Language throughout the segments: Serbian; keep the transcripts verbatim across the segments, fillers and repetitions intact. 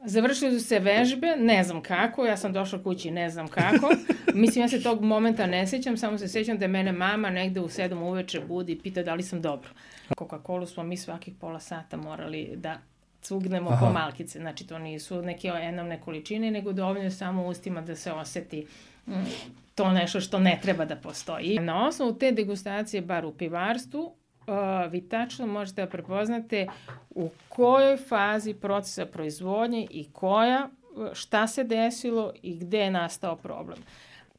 Završili su se vežbe, ne znam kako, ja sam došla kući, ne znam kako. Mislim, ja se tog momenta ne sjećam, samo se sjećam da je mene mama negde u sedam uveče budi i pita da li sam dobro. Coca-Colu smo mi svakih pola sata morali da cugnemo Aha. po malkice. Znači, to nisu neke enormne količine, nego dovoljno samo u ustima da se oseti mm, to nešto što ne treba da postoji. Na osnovu te degustacije, bar u pivarstvu, Uh, vi tačno možete da prepoznate u kojoj fazi procesa proizvodnje i koja, šta se desilo i gde je nastao problem.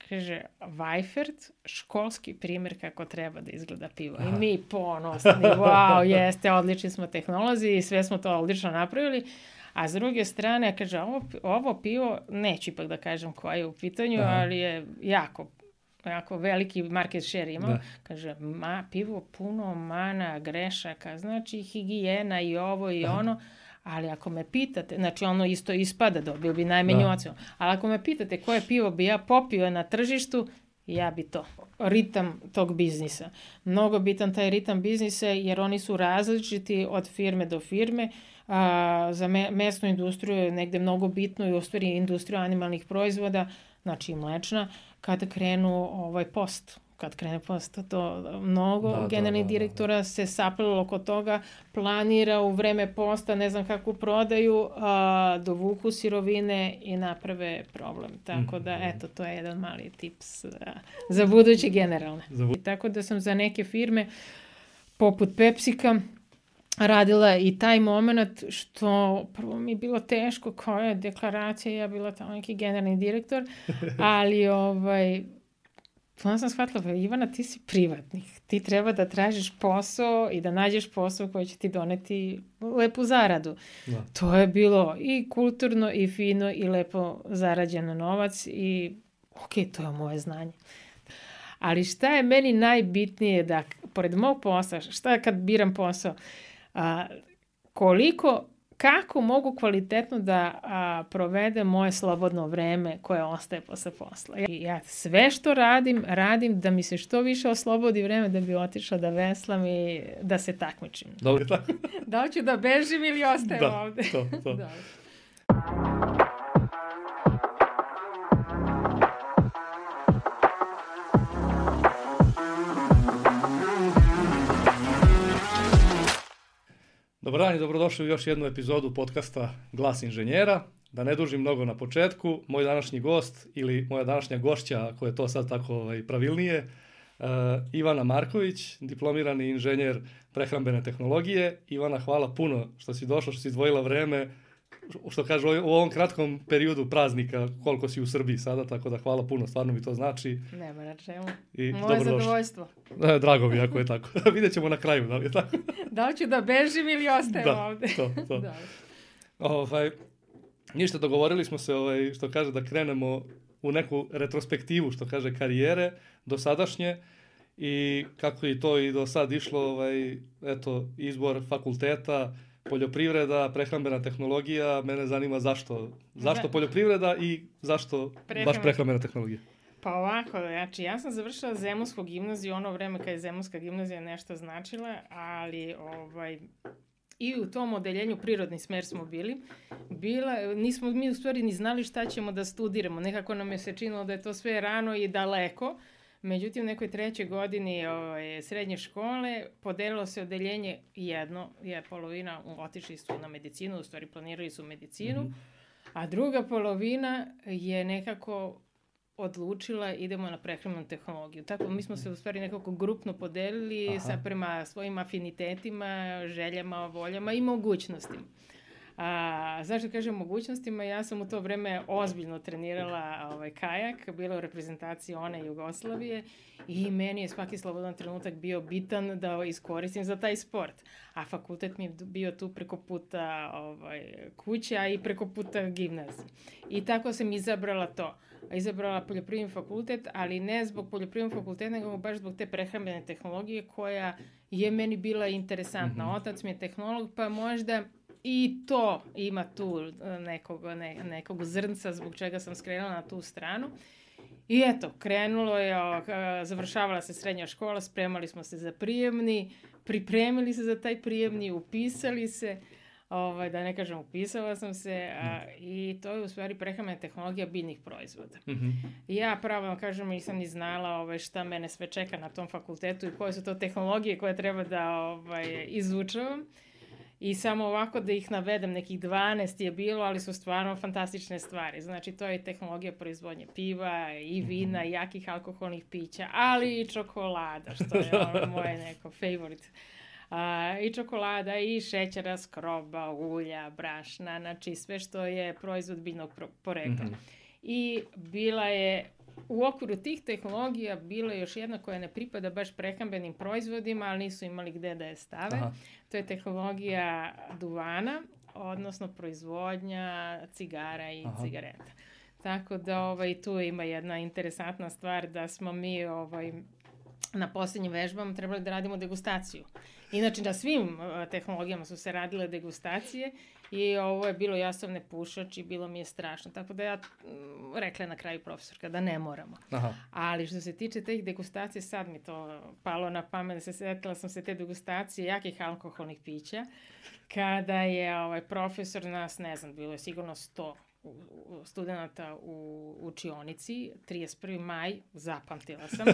Kaže, Weifert, školski primjer kako treba da izgleda pivo. Aha. I mi ponosni, wow, jeste, odlični smo tehnolozi i sve smo to odlično napravili. A s druge strane, kaže, ovo, ovo pivo, neću ipak da kažem koja je u pitanju, Aha. ali je jako jako veliki market share imao, da. Kaže, ma, pivo puno mana, grešaka, znači higijena i ovo i Aha. ono, ali ako me pitate, znači ono isto ispada, dobio bi najmanju ocenu, ali ako me pitate koje pivo bi ja popio na tržištu, ja bi to. Ritam tog biznisa. Mnogo bitan taj ritam biznisa jer oni su različiti od firme do firme. A, za me, mesnu industriju je negde mnogo bitno i u stvari industriju animalnih proizvoda, znači i mlečna, kada krenu ovaj post, kad krene post, to mnogo da, generalnih da, da, direktora da. se saplilo oko toga, planira u vreme posta, ne znam kako prodaju, a, dovuku sirovine i naprave problem. Tako da, eto, to je jedan mali tips a, za buduće generalne. Za bu- I tako da sam za neke firme, poput Pepsika, radila i taj moment što prvo mi je bilo teško koja je deklaracija, ja bila tamo neki generalni direktor, ali ovaj, onda sam shvatila, Ivana, ti si privatnik, ti treba da tražiš posao i da nađeš posao koji će ti doneti lepu zaradu. Da. To je bilo i kulturno i fino i lepo zarađen novac i ok, to je moje znanje. Ali šta je meni najbitnije da, pored mog posla, šta kad biram posao, A, koliko, kako mogu kvalitetno da a, provedem moje slobodno vreme koje ostaje posle posla. Ja, ja sve što radim, radim da mi se što više oslobodi vreme da bi otišla da veslam i da se takmičim. Dobro, tako. Da li ću da bežim ili ostajem da, ovde? To, to. Da. Dobar dan i dobrodošli u još jednu epizodu podcasta Glas inženjera. Da ne dužim mnogo na početku, moj današnji gost ili moja današnja gošća, ako je to sad tako ovaj, pravilnije, uh, Ivana Marković, diplomirani inženjer prehrambene tehnologije. Ivana, hvala puno što si došla, što si izdvojila vreme, što kaže u ovom kratkom periodu praznika, koliko si u Srbiji sada, tako da hvala puno, stvarno mi to znači. Nema na čemu. I moje zadovoljstvo. E, drago mi ako je tako. Vidjet ćemo na kraju, da li je tako? Da li ću da bežim ili ostajem da, ovde? To, to. Da, ovaj, ništa, dogovorili smo se, ovaj, što kaže, da krenemo u neku retrospektivu, što kaže, karijere do sadašnje i kako je to i do sad išlo, ovaj, eto, izbor fakulteta, poljoprivreda, prehrambena tehnologija, mene zanima zašto, zašto poljoprivreda i zašto Prehran... baš prehrambena tehnologija. Pa ovako, znači ja sam završila Zemunsku gimnaziju, ono vreme kad je Zemunska gimnazija nešto značila, ali ovaj, i u tom odeljenju prirodni smer smo bili. Bila, nismo mi u stvari ni znali šta ćemo da studiramo, nekako nam je se činilo da je to sve rano i daleko. Međutim, u nekoj trećoj godini ovaj, srednje škole podelilo se odeljenje jedno, je polovina otišli su na medicinu, u stvari planirali su medicinu, mm-hmm. a druga polovina je nekako odlučila idemo na prehrambenu tehnologiju. Tako mi smo se u stvari nekako grupno podelili Aha. sa prema svojim afinitetima, željama, voljama i mogućnostima. A, zašto kažem mogućnostima? Ja sam u to vreme ozbiljno trenirala ovaj, kajak, bila u reprezentaciji one Jugoslavije i meni je svaki slobodan trenutak bio bitan da iskoristim za taj sport. A fakultet mi je bio tu preko puta ovaj, kuća i preko puta gimnazije. I tako sam izabrala to. Izabrala poljoprivredni fakultet, ali ne zbog poljoprivrednog fakulteta, nego baš zbog te prehrambene tehnologije koja je meni bila interesantna. Mm-hmm. Otac mi je tehnolog, pa možda i to ima tu nekog, ne, nekog zrnca zbog čega sam skrenula na tu stranu. I eto, krenulo je, završavala se srednja škola, spremali smo se za prijemni, pripremili se za taj prijemni, upisali se, ovaj, da ne kažem upisala sam se a, i to je u stvari prehrambena tehnologija biljnih proizvoda. Mm-hmm. I ja pravo vam kažem nisam ni znala ovaj, šta mene sve čeka na tom fakultetu i koje su to tehnologije koje treba da ovaj, izučavam. I samo ovako da ih navedem, nekih dvanaest je bilo, ali su stvarno fantastične stvari. Znači, to je tehnologija proizvodnje piva i vina, i jakih alkoholnih pića, ali i čokolada, što je ono moje neko favorite. A, i čokolada, i šećera, skroba, ulja, brašna, znači sve što je proizvod biljnog porekla. Mm-hmm. I bila je, u okviru tih tehnologija bila je još jedna koja ne pripada baš prehrambenim proizvodima, ali nisu imali gde da je stave. Aha. To je tehnologija duvana, odnosno proizvodnja cigara i Aha. cigareta. Tako da ovaj, tu ima jedna interesantna stvar da smo mi ovaj, na posljednjim vežbama trebali da radimo degustaciju. Inače, na svim uh, tehnologijama su se radile degustacije i ovo je bilo, ja sam ne pušač i bilo mi je strašno. Tako da ja m, rekla na kraju profesorka da ne moramo. Aha. Ali što se tiče teh degustacije, sad mi to palo na pamet, se setila sam se te degustacije jakih alkoholnih pića, kada je ovaj, profesor nas, ne znam, bilo je sigurno sto studenta u učionici, trideset prvi maj, zapamtila sam,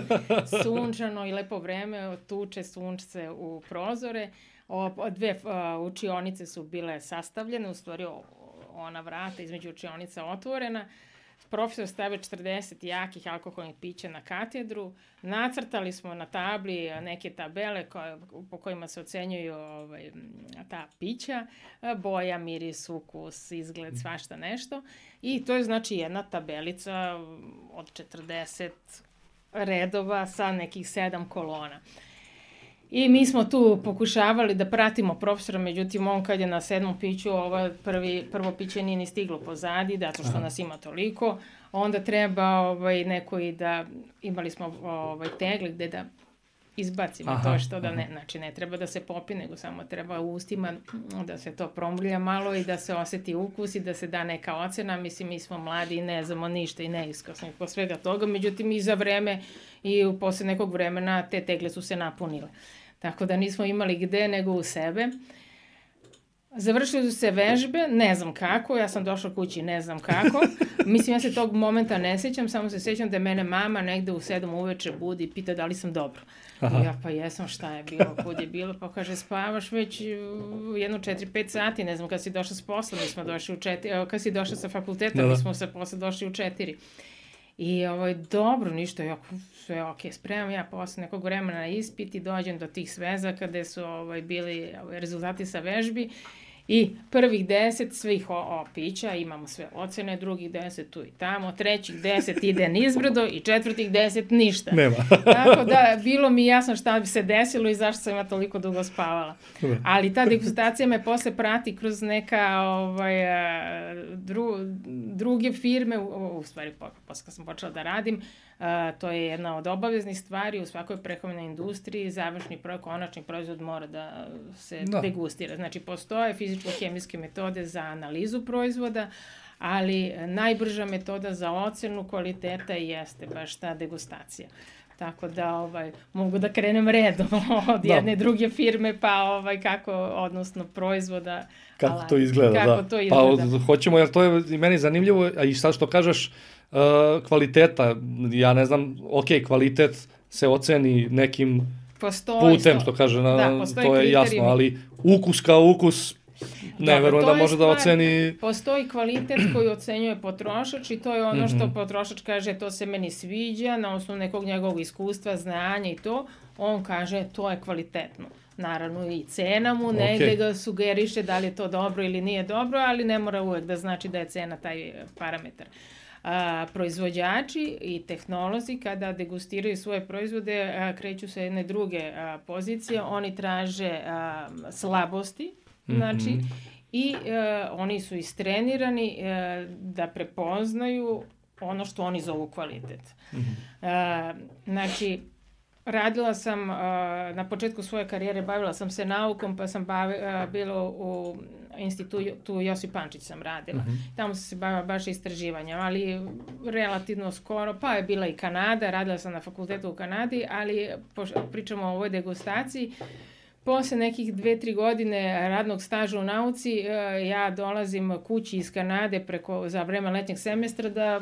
sunčano i lepo vreme, tuče sunčce u prozore, o, dve uh, učionice su bile sastavljene, u stvari ona vrata između učionica otvorena, profesor stavio četrdeset jakih alkoholnih pića na katedru, nacrtali smo na tabli neke tabele koje, po kojima se ocenjuju ovaj, ta pića, boja, miris, ukus, izgled, svašta nešto. I to je znači jedna tabelica od četrdeset redova sa nekih sedam kolona. I mi smo tu pokušavali da pratimo profesora, međutim on kad je na sedmom piću, ovo prvi, prvo piće nije ni stiglo pozadi, zato što Aha. nas ima toliko, onda treba ovaj, neko i da, imali smo ovaj, tegle gde da izbacimo aha, to što da ne, znači ne treba da se popi, nego samo treba u ustima da se to promrlja malo i da se oseti ukus i da se da neka ocena. Mislim, mi smo mladi i ne znamo ništa i neiskusni po svega toga, međutim i za vreme i posle nekog vremena te tegle su se napunile. Tako da nismo imali gde nego u sebe. Završili su se vežbe, ne znam kako, ja sam došla kući, ne znam kako. Mislim, ja se tog momenta ne sjećam, samo se sjećam da je mene mama negde u sedam uveče budi i pita da li sam dobro. Aha. Ja pa jesam, šta je bilo, kud je bilo, pa kaže spavaš već jedno četiri pet sati, ne znam kad si došla s posla, mi smo došli u četiri, kad si došla sa fakulteta, mi smo sa posla došli u četiri. I ovaj, dobro, ništa, jako, sve ok, spremam ja posle nekog vremena na ispit i dođem do tih svezaka gde su ovaj, bili ovaj, rezultati sa vežbi i prvih deset svih o, o pića, imamo sve ocene, drugih deset tu i tamo, trećih deset ide nizbrdo i četvrtih deset ništa. Nema. Tako da, bilo mi jasno šta bi se desilo i zašto sam ja toliko dugo spavala. Ali ta degustacija me posle prati kroz neka ovaj, dru, druge firme, u, u stvari posle kad sam počela da radim, a, to je jedna od obaveznih stvari u svakoj prehrambenoj industriji, završni projekt, konačni proizvod mora da se da. degustira. Znači, postoje fizičko-hemijske metode za analizu proizvoda, ali najbrža metoda za ocenu kvaliteta jeste baš ta degustacija. Tako da ovaj, mogu da krenem redom od da. jedne druge firme, pa ovaj, kako, odnosno proizvoda. Kako ala, to izgleda, kako da. To izgleda. Pa hoćemo, jer to je i meni zanimljivo, a i sad što kažeš, uh, kvaliteta, ja ne znam, ok, kvalitet se oceni nekim postoji putem, što kaže, na, da, to je jasno, ali ukus kao ukus, ne verujem da može stvar, da oceni... Postoji kvalitet koji ocenjuje potrošač i to je ono mm-hmm. što potrošač kaže to se meni sviđa na osnovu nekog njegovog iskustva, znanja i to, on kaže to je kvalitetno. Naravno i cena mu negde okay. ga sugeriše da li je to dobro ili nije dobro, ali ne mora uvek da znači da je cena taj parametar. A, proizvođači i tehnolozi kada degustiraju svoje proizvode a, kreću sa jedne druge a, pozicije, oni traže a, slabosti, znači, mm-hmm. i e, oni su istrenirani e, da prepoznaju ono što oni zovu kvalitet. Mm-hmm. E, znači, radila sam, e, na početku svoje karijere bavila sam se naukom, pa sam bavi, e, bila u institutu Josip Pančić sam radila. Mm-hmm. Tamo sam se bavila baš istraživanjem, ali relativno skoro, pa je bila i Kanada, radila sam na fakultetu u Kanadi, ali po, pričamo o ovoj degustaciji. posle nekih dve, tri godine radnog staža u nauci, ja dolazim kući iz Kanade preko, za vreme letnjeg semestra da,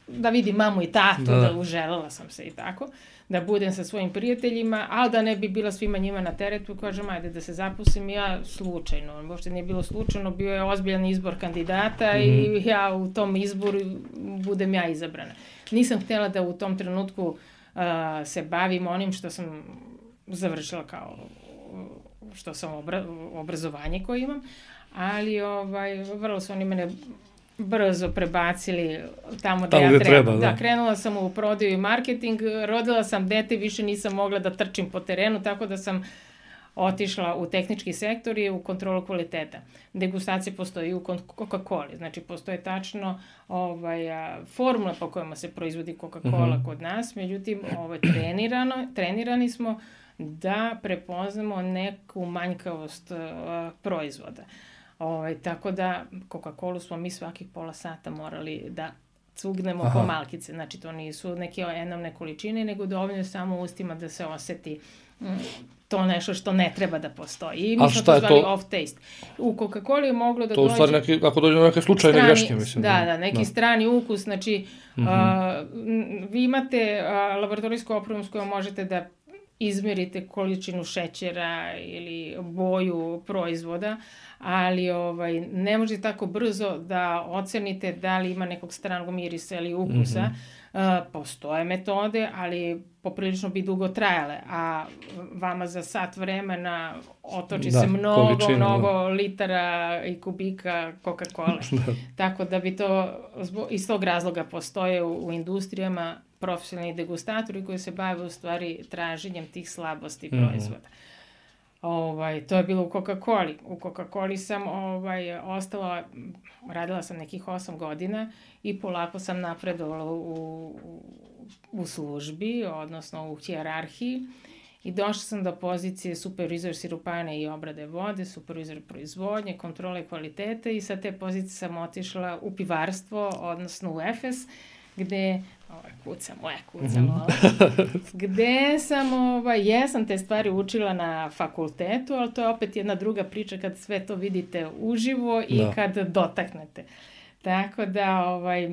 da vidim mamu i tatu, da, da uželela sam se i tako, da budem sa svojim prijateljima, ali da ne bi bila svima njima na teretu, kažem, ajde da se zapustim, ja slučajno, možda nije bilo slučajno, bio je ozbiljan izbor kandidata mm. i ja u tom izboru budem ja izabrana. Nisam htjela da u tom trenutku uh, se bavim onim što sam završila kao što sam obra, obrazovanje koje imam, ali ovaj, vrlo su oni mene brzo prebacili tamo da tamo ja treba. treba da. da, krenula sam u prodaju i marketing, rodila sam dete, više nisam mogla da trčim po terenu, tako da sam otišla u tehnički sektor i u kontrolu kvaliteta. Degustacija postoji u Coca-Coli, znači postoje tačno ovaj, a, formula po kojima se proizvodi Coca-Cola mm-hmm. kod nas, međutim ovaj, trenirano, trenirani smo da prepoznamo neku manjkavost uh, proizvoda. Ovaj, tako da Coca-Colu smo mi svakih pola sata morali da cugnemo Aha. po malkice. Znači to nisu neke enormne količine, nego dovoljno samo ustima da se oseti mm, to nešto što ne treba da postoji. I mi smo to zvali to? off taste. U Coca-Coli je moglo da to dođe... To u stvari neki, ako dođe na neke slučajne strani, greške, mislim. Da, da, neki da. strani ukus. Znači, mm-hmm. uh, vi imate uh, laboratorijsku opremu s kojom možete da izmerite količinu šećera ili boju proizvoda, ali ovaj, ne možete tako brzo da ocenite da li ima nekog stranog mirisa ili ukusa. Mm-hmm. Uh, postoje metode, ali poprilično bi dugo trajale, a vama za sat vremena otoči da, se mnogo, količinu, mnogo da. litara i kubika Coca-Cola. da. Tako da bi to, iz tog razloga postoje u, u industrijama profesionalni degustatori koji se bave u stvari traženjem tih slabosti mm-hmm. proizvoda. Ovaj, to je bilo u Coca-Coli. U Coca-Coli sam ovaj, ostala, radila sam nekih osam godina i polako sam napredovala u, u, u službi, odnosno u hijerarhiji. I došla sam do pozicije supervizor sirupane i obrade vode, supervizor proizvodnje, kontrole kvalitete i sa te pozicije sam otišla u pivarstvo, odnosno u Efes, gde, ovaj, kuca moja, kuca moja, gde sam, ovaj, jesam te stvari učila na fakultetu, ali to je opet jedna druga priča kad sve to vidite uživo i da. kad dotaknete. Tako da, ovaj,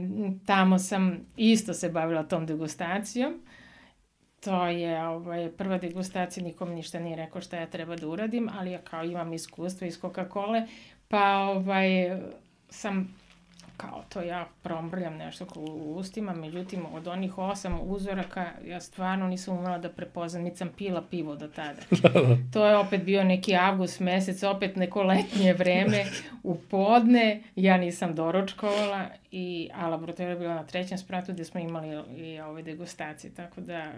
tamo sam isto se bavila tom degustacijom. To je ovaj, prva degustacija, nikom ništa nije rekao šta ja treba da uradim, ali ja kao imam iskustvo iz Coca-Cole, pa ovaj, sam kao to ja promrljam nešto u ustima, međutim od onih osam uzoraka ja stvarno nisam umela da prepoznam, niti sam pila pivo do tada. To je opet bio neki avgust mesec, opet neko letnje vreme, u podne, ja nisam doručkovala, i, a laboratorija je bila na trećem spratu gde smo imali i ove degustacije, tako da...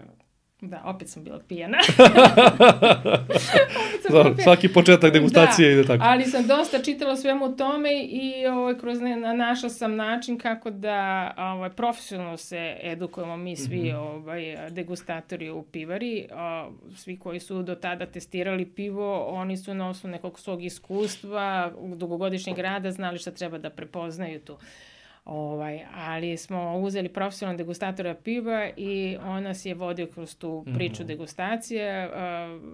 Da, opet sam bila pijana. Dobro, svaki početak degustacije da, ide tako. Ali sam dosta čitala svemu tome i ovaj, kroz ne, našla sam način kako da ovaj, profesionalno se edukujemo mi svi mm-hmm. ovaj, degustatori u pivari. O, svi koji su do tada testirali pivo, oni su na osnovu nekog svog iskustva, dugogodišnjeg rada, znali šta treba da prepoznaju tu. Ovaj, ali smo uzeli profesionalnog degustatora piva i on nas je vodio kroz tu priču mm-hmm. degustacije. Uh,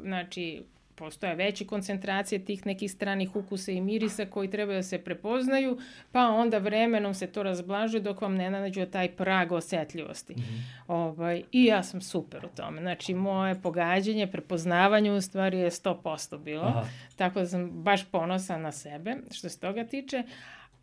znači, postoje veće koncentracije tih nekih stranih ukusa i mirisa koji treba da se prepoznaju, pa onda vremenom se to razblažuje dok vam ne nađe taj prag osetljivosti. Mm-hmm. Ovaj, I ja sam super u tome. Znači, moje pogađanje, prepoznavanje u stvari je sto posto bilo. Aha. Tako da sam baš ponosna na sebe što se toga tiče.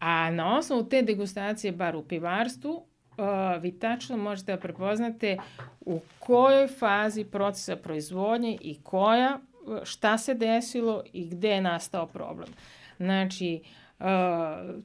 A na osnovu te degustacije, bar u pivarstvu, uh, vi tačno možete da prepoznate u kojoj fazi procesa proizvodnje i koja, šta se desilo i gde je nastao problem. Znači, uh,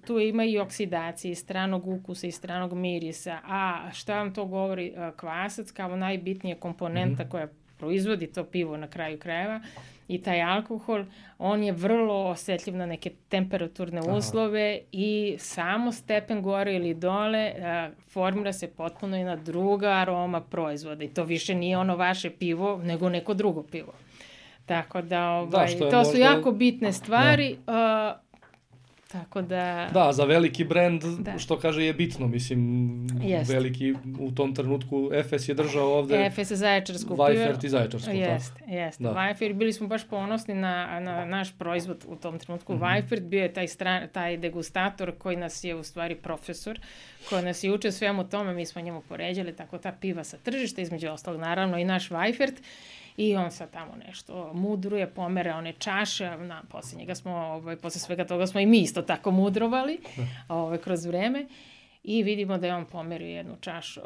tu ima i oksidacije, i stranog ukusa, i stranog mirisa, a šta vam to govori uh, kvasac kao najbitnija komponenta mm-hmm. koja proizvodi to pivo na kraju krajeva, i taj alkohol, on je vrlo osetljiv na neke temperaturne uslove. Aha. I samo stepen gore ili dole a, formira se potpuno jedna druga aroma proizvoda i to više nije ono vaše pivo, nego neko drugo pivo. Tako da, ovaj, da to možda... su jako bitne stvari. Da. Tako da... Da, za veliki brend, da. što kaže, je bitno, mislim, Jest. veliki, u tom trenutku Efes je držao ovde... Efes je Zaječarsku. Vajfert i Zaječarsku, tako. Jeste, jeste. Vajfert, bili smo baš ponosni na, na naš proizvod u tom trenutku. Mm-hmm. Vajfert bio je taj, stran, taj degustator koji nas je u stvari profesor, koji nas je učio svemu tome, mi smo njemu poređali tako ta piva sa tržišta, između ostalog naravno i naš Vajfert. I on sad tamo nešto mudruje, pomere one čaše, na posljednjega smo, ovaj, posle svega toga smo i mi isto tako mudrovali ovaj, kroz vreme i vidimo da je on pomerio jednu čašu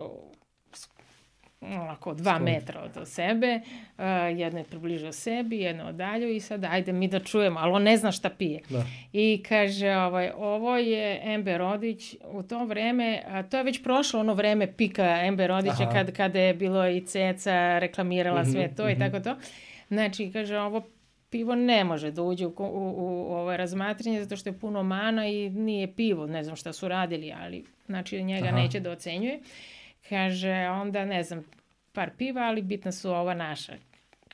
onako dva metra od sebe, uh, jedno je približio sebi, jedno odalju i sad ajde mi da čujemo, ali on ne zna šta pije. Da. I kaže, ovaj, ovo je Embe Rodić, u to vreme, a to je već prošlo ono vreme pika Embe Rodića, kad, kada je bilo i Ceca reklamirala mm-hmm, sve to mm-hmm. i tako to. Znači, kaže, ovo pivo ne može da uđe u, u, u ovo razmatranje zato što je puno mana i nije pivo, ne znam šta su radili, ali znači njega Aha. neće da ocenjuje. Kaže, onda, ne znam, par piva, ali bitna su ova naša.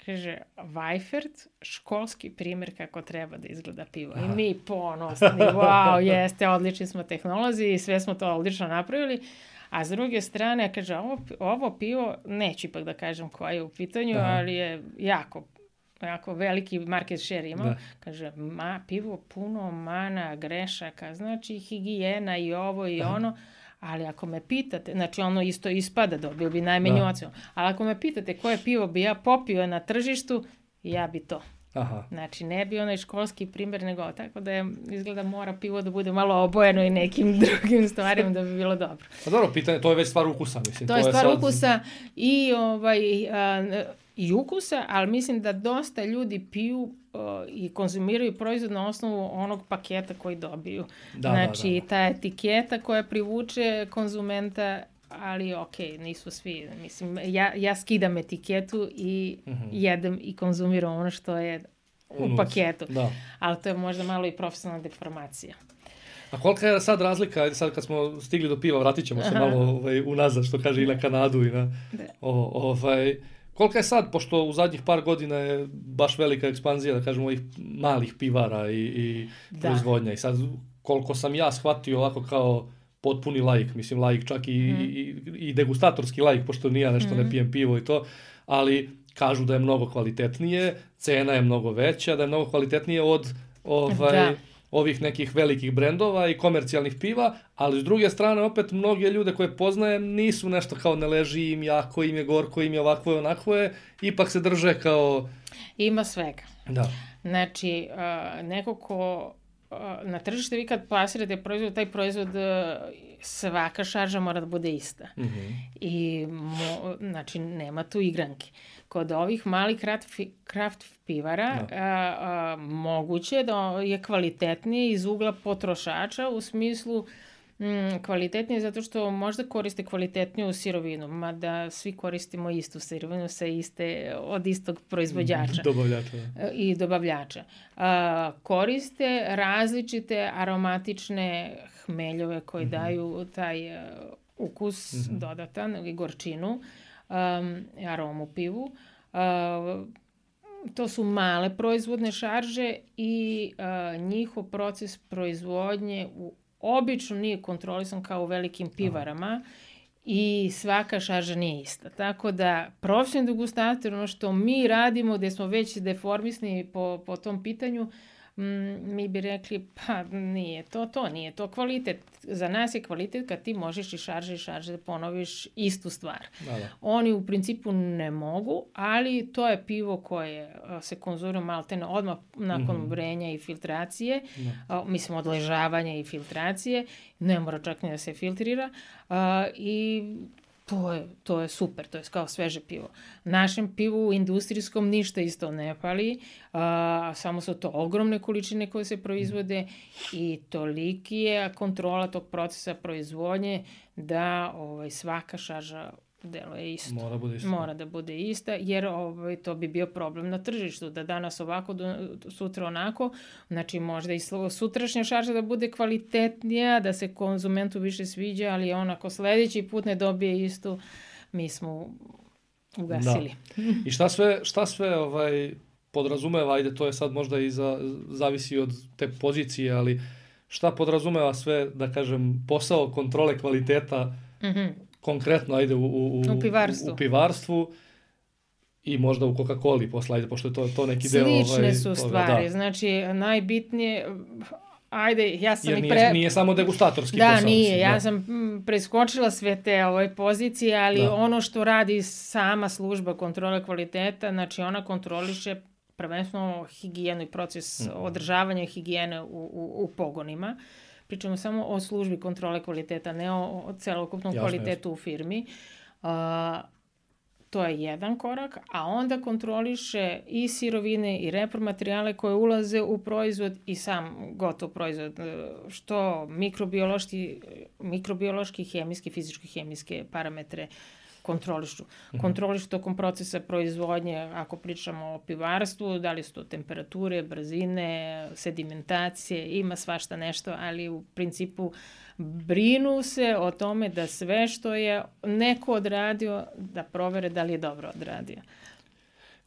Kaže, Vajfert, školski primjer kako treba da izgleda pivo. Aha. I mi ponosni, wow, jeste, odlični smo tehnolozi i sve smo to odlično napravili. A s druge strane, kaže, ovo, ovo pivo, neću ipak da kažem koja je u pitanju, Aha. ali je jako, jako veliki market share imao. Da. Kaže, ma, pivo puno mana, grešaka, znači higijena i ovo i Aha. ono. Ali ako me pitate, znači ono isto ispada, dobio bi najmanju ocenu. Ali ako me pitate koje pivo bi ja popio na tržištu, ja bi to. Aha. Znači ne bi onaj školski primjer nego tako da je, izgleda mora pivo da bude malo obojeno i nekim drugim stvarima da bi bilo dobro. Pa dobro, pitanje, to je već stvar ukusa, mislim. To, to je stvar sad... ukusa i, ovaj, a, i ukusa, ali mislim da dosta ljudi piju i konzumiraju proizvod na osnovu onog paketa koji dobiju. Da, znači, da, da. ta etiketa koja privuče konzumenta, ali ok, nisu svi. Mislim, ja, ja skidam etiketu i uh-huh. jedem i konzumiram ono što je u Unut. paketu. Da. Ali to je možda malo i profesionalna deformacija. A kolika je sad razlika, sad kad smo stigli do piva, vratit ćemo se Aha. malo ovaj, unazad, što kaže i na Kanadu i na... O, ovaj... Kolika je sad, pošto u zadnjih par godina je baš velika ekspanzija, da kažemo, ovih malih pivara i, i proizvodnja. I sad, koliko sam ja shvatio ovako kao potpuni laik, mislim laik čak i, mm. i, i degustatorski laik, pošto nija nešto mm. ne pijem pivo i to, ali kažu da je mnogo kvalitetnije, cena je mnogo veća, da je mnogo kvalitetnije od ovaj... Da. ovih nekih velikih brendova i komercijalnih piva, ali s druge strane opet mnoge ljude koje poznajem nisu nešto kao ne leži im, jako im je, gorko im je, ovako je, onako je, ipak se drže kao... Ima svega. Da. Znači, uh, neko ko uh, na tržište vi kad plasirate proizvod, taj proizvod uh, svaka šarža mora da bude ista. Mm-hmm. I, mo, znači, nema tu igranke. Kod ovih malih craft, craft pivara no. a, a, moguće da je kvalitetnije iz ugla potrošača u smislu mm, kvalitetnije zato što možda koriste kvalitetniju sirovinu, mada svi koristimo istu sirovinu sa iste, od istog proizvođača dobavljača, da. i dobavljača. A, koriste različite aromatične hmeljove koji mm-hmm. daju taj uh, ukus mm-hmm. dodatan i gorčinu. Um, aromu pivu. Uh, to su male proizvodne šarže i uh, njihov proces proizvodnje u, obično nije kontrolisan kao u velikim pivarama Aha. i svaka šarža nije ista. Tako da profesionalni degustator, ono što mi radimo, gde smo već deformisni po, po tom pitanju, Mm, mi bi rekli, pa nije to, to nije to kvalitet. Za nas je kvalitet kad ti možeš i šarže i šarže da ponoviš istu stvar. Da, da. Oni u principu ne mogu, ali to je pivo koje se konzumira maltene odmah nakon mm-hmm. vrenja i filtracije, da. a, mislim odležavanja i filtracije, ne mora čak ni da se filtrira a, i To je, to je super, to je kao sveže pivo. Našem pivu industrijskom ništa isto ne pali, a, samo su to ogromne količine koje se proizvode i toliki je kontrola tog procesa proizvodnje da ovaj, svaka šarža deluje isto. Mora, bude isto. Mora da bude ista, jer ovaj, to bi bio problem na tržištu, da danas ovako, sutra onako, znači možda i sutrašnja šarža da bude kvalitetnija, da se konzumentu više sviđa, ali on ako sledeći put ne dobije istu, mi smo ugasili. Da. I šta sve, šta sve ovaj, podrazumeva, ajde, to je sad možda i za, zavisi od te pozicije, ali šta podrazumeva sve, da kažem, posao kontrole kvaliteta, mm-hmm. konkretno, ajde, u, u, u, pivarstvu. u pivarstvu i možda u Coca-Coli posle, ajde, pošto je to, to neki deo... Slične ovaj, su stvari, da. Znači, najbitnije... Ajde, ja sam Jer i nije, pre... nije samo degustatorski da, posao. Nije, mislim, ja da. sam preskočila sve te ove pozicije, ali da. Ono što radi sama služba kontrole kvaliteta, znači ona kontroliše prvenstveno higijenu i proces mm. održavanja higijene u, u, u pogonima. Pričamo samo o službi kontrole kvaliteta, ne o, o celokupnom jasne, kvalitetu jasne. U firmi. Uh, To je jedan korak, a onda kontroliše i sirovine i repromaterijale koje ulaze u proizvod i sam gotov proizvod, što mikrobiološki, mikrobiološki, hemijski, fizički, hemijske parametre kontrolišu. Mm-hmm. Kontrolišu tokom procesa proizvodnje, ako pričamo o pivarstvu, da li su to temperature, brzine, sedimentacije, ima svašta nešto, ali u principu brinu se o tome da sve što je neko odradio, da provere da li je dobro odradio.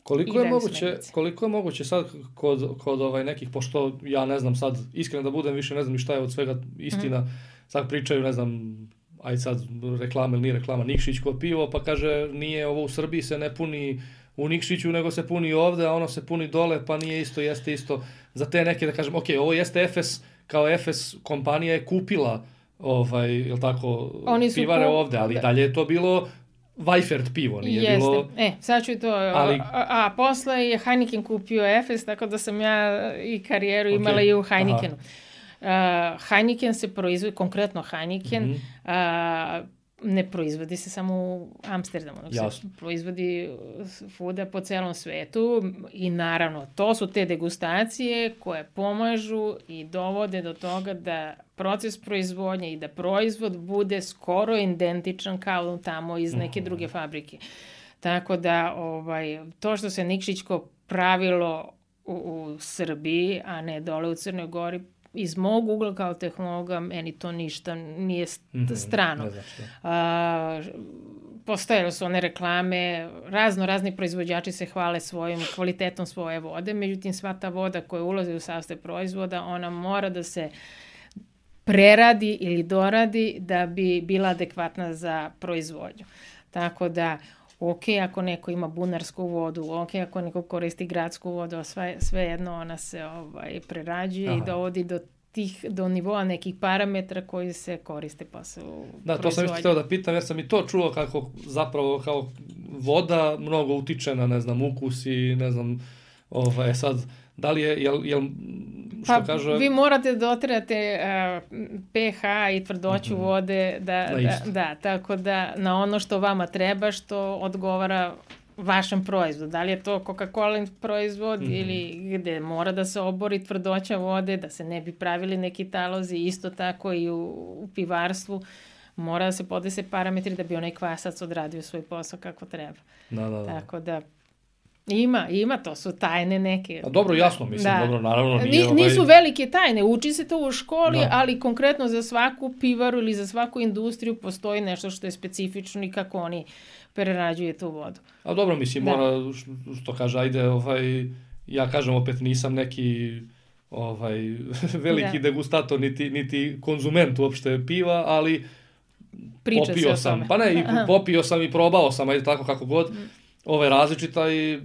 Koliko je moguće, koliko je moguće sad kod, kod ovaj nekih, pošto ja ne znam sad, iskreno da budem, više ne znam ni šta je od svega istina, mm. sad pričaju, ne znam, aj sad reklama ili nije reklama, Nikšićko pivo, pa kaže nije ovo u Srbiji se ne puni u Nikšiću, nego se puni ovde, a ono se puni dole, pa nije isto, jeste isto. Za te neke da kažem, ok, ovo jeste Efes, kao Efes kompanija je kupila ovaj, jel tako, pivare kup... ovde, ali dalje je to bilo Weifert pivo, nije jeste. Bilo... E, sad ću to, ali... a, a posle je Heineken kupio Efes, tako da sam ja i karijeru okay. imala i u Heinekenu. Uh, Heineken se proizvodi, konkretno Heineken, mm-hmm. uh, ne proizvodi se samo u Amsterdamu, nego se proizvodi svuda po celom svetu i naravno to su te degustacije koje pomažu i dovode do toga da proces proizvodnje i da proizvod bude skoro identičan kao tamo iz neke druge fabrike. Tako da ovaj, to što se Nikšićko pravilo u, u Srbiji, a ne dole u Crnoj Gori, iz mog ugla kao tehnologa, meni to ništa nije strano. Mm-hmm. A, postojale su one reklame, razno razni proizvođači se hvale svojim kvalitetom svoje vode, međutim sva ta voda koja ulazi u sastav proizvoda, ona mora da se preradi ili doradi da bi bila adekvatna za proizvodnju. Tako da, ok, ako neko ima bunarsku vodu, ok, ako neko koristi gradsku vodu, sve, sve jedno ona se ovaj, prerađuje Aha. i dovodi do tih, do nivoa nekih parametra koji se koriste posle u Da, to sam isto htio da pitam, jer sam i to čuo kako zapravo kao voda mnogo utiče na, ne znam, ukus i ne znam, ovaj, sad, da li je, jel, jel što pa, kaže... vi morate dotirate uh, pH i tvrdoću mm-hmm. vode, da, da, da, tako da na ono što vama treba, što odgovara vašem proizvodu. Da li je to Coca-Cola proizvod mm-hmm. ili gde mora da se obori tvrdoća vode, da se ne bi pravili neki talozi, isto tako i u, u pivarstvu. Mora da se podese parametri da bi onaj kvasac odradio svoj posao kako treba. Da, da, da. Tako da Ima, ima, to su tajne neke. A dobro, jasno, mislim, da. Dobro, naravno nije Ni, ovaj... Nisu velike tajne, uči se to u školi, da. Ali konkretno za svaku pivaru ili za svaku industriju postoji nešto što je specifično i kako oni prerađuju tu vodu. A dobro, mislim, da. Mora, što kaže, ajde, ovaj, ja kažem opet nisam neki ovaj, veliki da. degustator, niti, niti konzument uopšte piva, ali Priča popio sam, pa ne, i popio sam i probao sam, ajde tako kako god, mm. ove različita i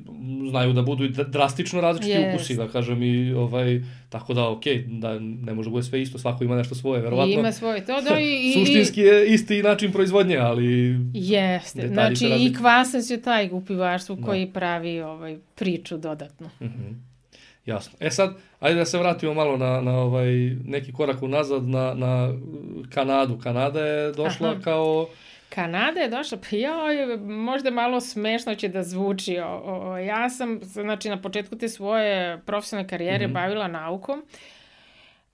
znaju da budu i drastično različiti yes. ukusi, da kažem, i ovaj, tako da, okej, okay, da ne može bude sve isto, svako ima nešto svoje, verovatno. Ima svoje, to da i... Suštinski je isti način proizvodnje, ali... Jeste, znači i kvasac je taj u pivarstvu koji da. pravi ovaj, priču dodatno. Mm-hmm. Jasno. E sad, ajde da se vratimo malo na, na ovaj, neki korak unazad, na, na Kanadu. Kanada je došla Aha. kao... Kanada je došla, pa joj, možda malo smešno će da zvuči. O, o, ja sam, znači, na početku te svoje profesionalne karijere mm-hmm. bavila naukom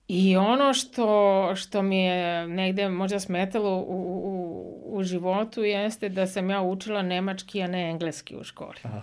i ono što, što mi je negde možda smetalo u, u, u životu jeste da sam ja učila nemački, a ne engleski u školi. Aha.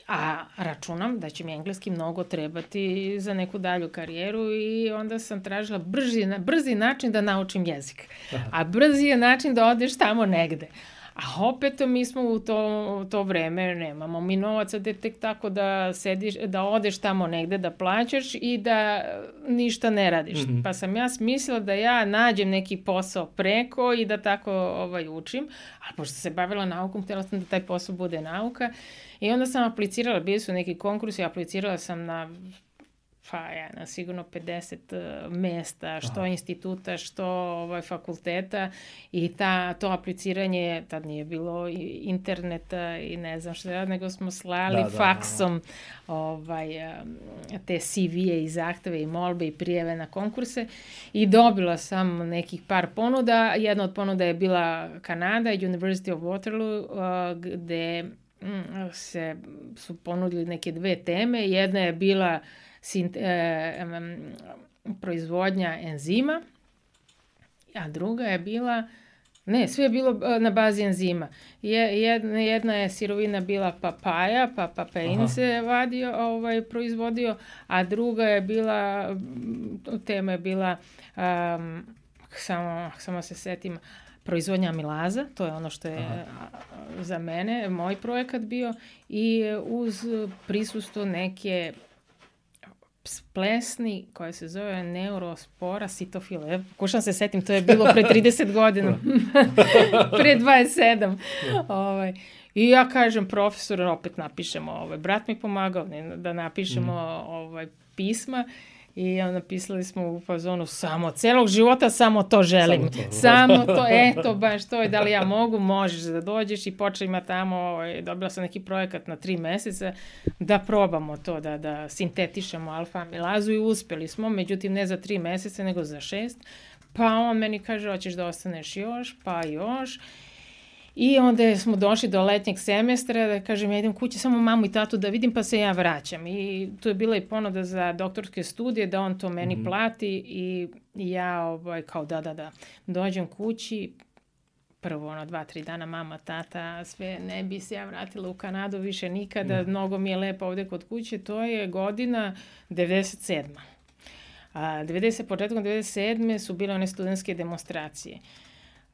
A računam da će mi engleski mnogo trebati za neku dalju karijeru i onda sam tražila brži, brzi način da naučim jezik. Aha. A brzi je način da odeš tamo negde. A opet mi smo u to, u to vreme, nemamo mi novaca da tek tako da sediš, da odeš tamo negde da plaćaš i da ništa ne radiš. Mm-hmm. Pa sam ja smislila da ja nađem neki posao preko i da tako ovaj, učim. Ali pošto se bavila naukom, htjela sam da taj posao bude nauka. I onda sam aplicirala, bili su neki konkursi, aplicirala sam na pa ja, na sigurno pedeset uh, mesta, što Aha. instituta, što ovaj, fakulteta i ta, to apliciranje, tad nije bilo interneta i ne znam što, nego smo slali da, faksom da, ovaj, te C V-e i zahteve i molbe i prijeve na konkurse i dobila sam nekih par ponuda. Jedna od ponuda je bila Kanada, University of Waterloo, uh, gde mm, se su ponudili neke dve teme. Jedna je bila Sint, eh, um, proizvodnja enzima, a druga je bila, ne, sve je bilo na bazi enzima. Je, jedna, jedna je sirovina bila papaja, pa papain se vadio, ovaj, proizvodio, a druga je bila, tema je bila, um, samo, samo se setim, proizvodnja amilaza, to je ono što je Aha. za mene, moj projekat bio, i uz prisustvo neke plesni koja se zove neurospora sitofile. Pokušam se setim, to je bilo pre trideset godina. pre dvadeset sedam. ovaj. I ja kažem profesoru, opet napišemo, ovaj, brat mi pomagao ne, da napišemo mm. ovaj, pisma. I napisali smo u fazonu samo, celog života samo to želim. Samo to, samo to eto, baš to je, da li ja mogu, možeš da dođeš i počnemo tamo, ovaj, dobila sam neki projekat na tri meseca, da probamo to, da, da sintetišemo alfa-amilazu i uspeli smo, međutim ne za tri meseca, nego za šest. Pa on meni kaže, hoćeš da ostaneš još, pa još. I onda smo došli do letnjeg semestra, da kažem, ja idem kući samo mamu i tatu da vidim, pa se ja vraćam. I tu je bila i ponuda za doktorske studije, da on to meni mm-hmm. plati i ja ovaj, kao da, da, da, dođem kući, prvo ono dva, tri dana mama, tata, sve, ne bi se ja vratila u Kanadu više nikada, mm. mnogo mi je lepo ovde kod kuće, to je godina devedeset sedma. A, devedeset, početkom devedeset sedme su bile one studentske demonstracije.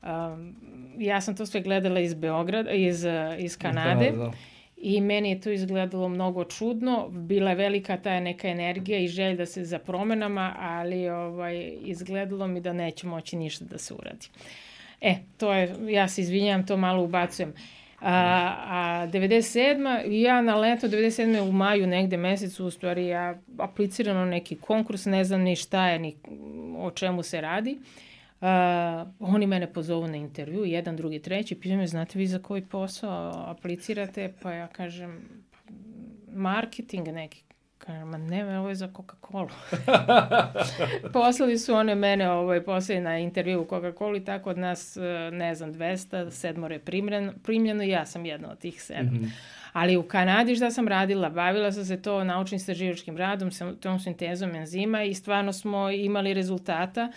Um, ja sam to sve gledala iz Beograda, iz, iz Kanade iz Kanade, i meni je to izgledalo mnogo čudno, bila je velika ta neka energija i želja da se za promenama, ali ovaj, izgledalo mi da neće moći ništa da se uradi. E, to je, ja se izvinjam, to malo ubacujem. A, a devedeset sedma, ja na leto devedeset sedme u maju negde mesecu, u stvari ja apliciram na neki konkurs, ne znam ni šta je, ni o čemu se radi. Uh, oni mene pozovu na intervju, jedan, drugi, treći, pitaju me, znate vi za koji posao aplicirate? Pa ja kažem, marketing neki. Kažem, ma ne, ovo je za Coca-Cola. Poslali su one mene, ovaj, poslali na intervju u Coca-Cola i tako od nas, ne znam, dvesta, sedmore primljeno, primljeno i ja sam jedna od tih sedam. Mm-hmm. Ali u Kanadi šta sam radila? Bavila sam se to naučnim istraživačkim radom, tom sintezom enzima i stvarno smo imali rezultata.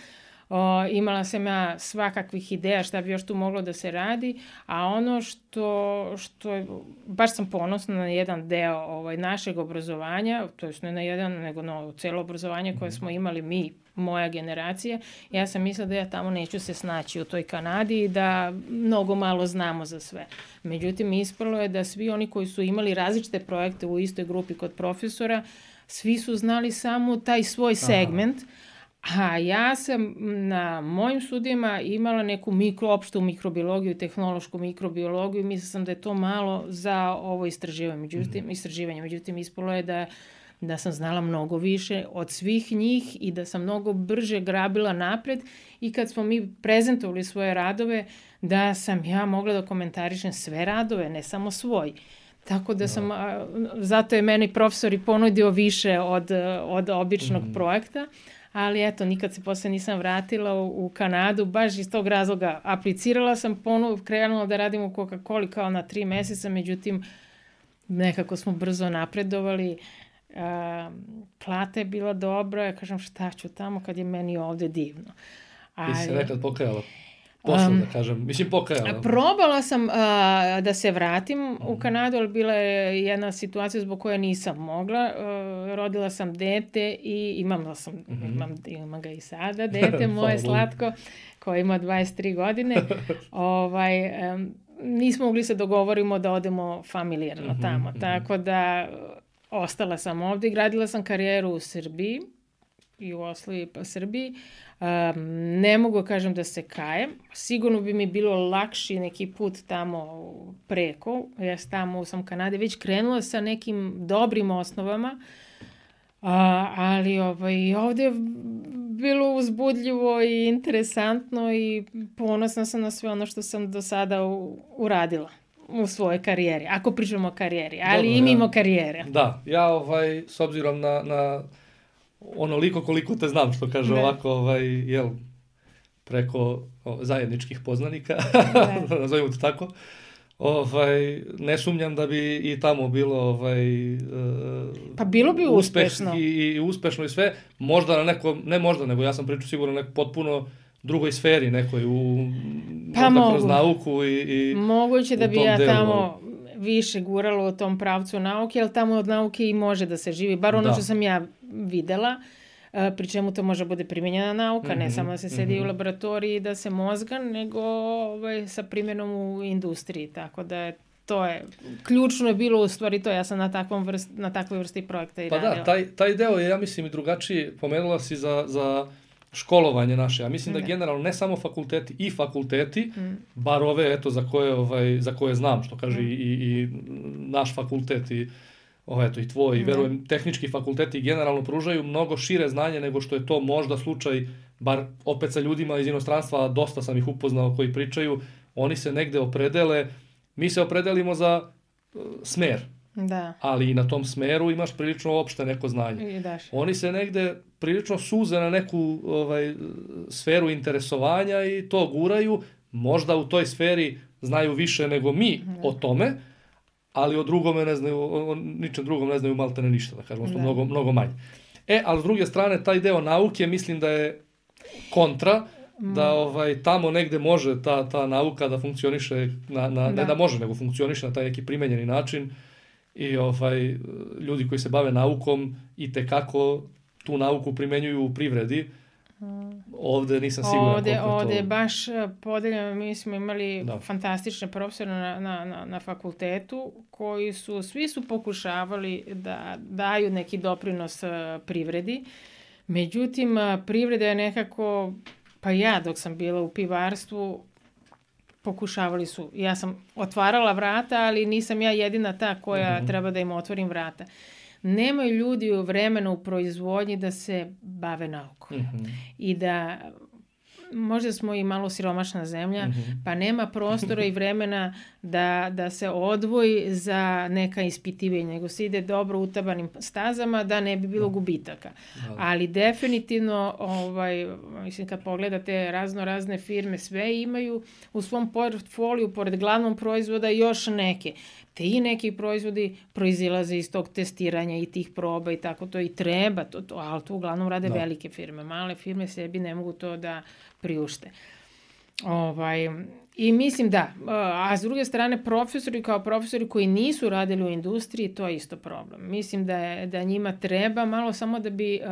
O, imala sam ja svakakvih ideja šta bi još tu moglo da se radi, a ono što, što je, baš sam ponosna na jedan deo ovaj, našeg obrazovanja, to je ne na jedan, nego na celo obrazovanje koje smo imali mi, moja generacija, ja sam mislila da ja tamo neću se snaći u toj Kanadi i da mnogo malo znamo za sve. Međutim, ispalo je da svi oni koji su imali različite projekte u istoj grupi kod profesora, svi su znali samo taj svoj segment. Aha. A ja sam na mojim studijama imala neku mikro, opštu mikrobiologiju, tehnološku mikrobiologiju, mislila sam da je to malo za ovo istraživanje. Međutim, mm-hmm. istraživanje. Međutim, ispalo je da, da sam znala mnogo više od svih njih i da sam mnogo brže grabila napred i kad smo mi prezentovali svoje radove, da sam ja mogla da komentarišem sve radove, ne samo svoj. Tako da sam, a, zato je meni profesor i ponudio više od, od običnog mm-hmm. projekta. Ali eto, nikad se posle nisam vratila u, u Kanadu, baš iz tog razloga. Aplicirala sam, ponovo krenula da radim u Coca-Coli kao na tri meseca, međutim, nekako smo brzo napredovali. A, plata je bila dobra, ja kažem šta ću tamo kad je meni ovde divno. Ali, ti se nekad pokajala? Posle, um, da kažem, mislim pokajala. Probala sam uh, da se vratim mm. u Kanadu, ali bila je jedna situacija zbog koje nisam mogla. Uh, rodila sam dete i imam, sam, mm-hmm. imam, imam ga i sada, dete moje slatko, koje ima dvadeset tri godine. ovaj, um, nismo mogli se dogovorimo da odemo familijarno Mhm, tamo, mhm. tako da ostala sam ovdje i gradila sam karijeru u Srbiji, Jugoslaviji pa Srbiji. Um, ne mogu kažem da se kajem. Sigurno bi mi bilo lakši neki put tamo preko. Ja tamo sam u Kanadi već krenula sa nekim dobrim osnovama, a, ali ovaj, ovdje je bilo uzbudljivo i interesantno i ponosna sam na sve ono što sam do sada u, uradila u svojoj karijeri. Ako pričamo o karijeri, ali Dobro, i mimo ja- karijere. Da, ja ovaj, s obzirom na, na onoliko koliko te znam, što kaže Da. ovako, ovaj, jel, preko o, zajedničkih poznanika, Da. nazovimo to tako, ovaj, ne sumnjam da bi i tamo bilo ovaj, e, Pa bilo bi uspeh uspešno. i, i uspešno i sve, možda na nekom, ne možda, nego ja sam pričao sigurno na nekoj potpuno drugoj sferi, nekoj u, Pa možda kroz mogu. nauku i, i Moguće da u bi tom ja delu, tamo više gurala u tom pravcu nauke, jer tamo od nauke i može da se živi. Bar ono Da. što sam ja videla, e, pri čemu to može bude primjenjena nauka, ne Mhm, samo da se sedi mhm. u laboratoriji i da se mozga, nego ovaj, sa primjenom u industriji. Tako da je, to je, ključno je bilo u stvari to, ja sam na, takvom vrst, na takvoj vrsti projekta i Pa radila. da, taj, taj deo je, ja mislim, i drugačiji. Pomenula si za, za školovanje naše. Ja mislim da Da. generalno ne samo fakulteti, i fakulteti, Mm. bar ove, eto, za koje, ovaj, za koje znam, što kaže Mm. i, i naš fakultet i, ovaj, eto, i tvoj, i Da. verujem, tehnički fakulteti generalno pružaju mnogo šire znanje nego što je to možda slučaj, bar opet sa ljudima iz inostranstva, dosta sam ih upoznao koji pričaju, oni se negde opredele, mi se opredelimo za uh, smer, Da. ali i na tom smeru imaš prilično opšte neko znanje. I daš. Oni se negde prilično suze na neku ovaj, sferu interesovanja i to guraju. Možda u toj sferi znaju više nego mi o tome, ali o drugome ne znaju, o, o ničem drugom ne znaju maltene ništa, da kažemo, što Da. mnogo, mnogo manje. E, ali s druge strane, taj deo nauke mislim da je kontra, da ovaj, tamo negde može ta, ta nauka da funkcioniše, na, na, ne Da. da može, nego funkcioniše na taj neki primenjeni način i ovaj, ljudi koji se bave naukom i tekako tu nauku primenjuju u privredi. Ovde nisam siguran Ovdje, koliko je ovdje je to. baš e, podeljeno, mi smo imali Da. fantastične profesore na, na, na, na fakultetu koji su, svi su pokušavali da daju neki doprinos e, privredi. Međutim, e, privreda je nekako, pa ja dok sam bila u pivarstvu, pokušavali su. Ja sam otvarala vrata, ali nisam ja jedina ta koja Mhm. treba da im otvorim vrata. Nemaju ljudi u vremenu u proizvodnji da se bave naukom. Mhm. I da možda smo i malo siromašna zemlja, Mhm. pa nema prostora i vremena da, da se odvoji za neka ispitivanja, nego se ide dobro utabanim stazama da ne bi bilo gubitaka. Da. Ali definitivno, ovaj, mislim, kad pogledate razno razne firme, sve imaju u svom portfoliju, pored glavnog proizvoda, još neke. Ti neki proizvodi proizilaze iz tog testiranja i tih proba i tako to i treba, to, to, ali to uglavnom rade Da. velike firme. Male firme sebi ne mogu to da priušte. Ovaj, I mislim da, a s druge strane profesori kao profesori koji nisu radili u industriji, to je isto problem. Mislim da, je, da njima treba malo samo da bi uh,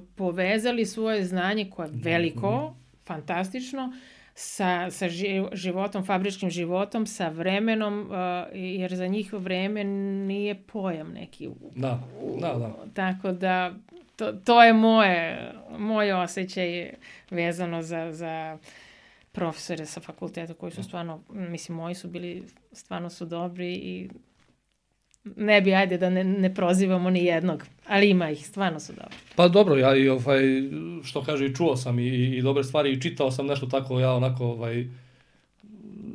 povezali svoje znanje koje je veliko, fantastično, sa, sa ži- životom, fabričkim životom, sa vremenom, uh, jer za njih vreme nije pojam neki. Da, da, da. Tako da, to, to je moje, moj osjećaj vezano za, za profesore sa fakulteta koji su stvarno, mislim, moji su bili, stvarno su dobri i ne bi, ajde da ne, ne prozivamo ni jednog, ali ima ih, stvarno su dobri. Pa dobro, ja i ovaj, što kaže, i čuo sam i, i dobre stvari i čitao sam nešto tako, ja onako, ovaj,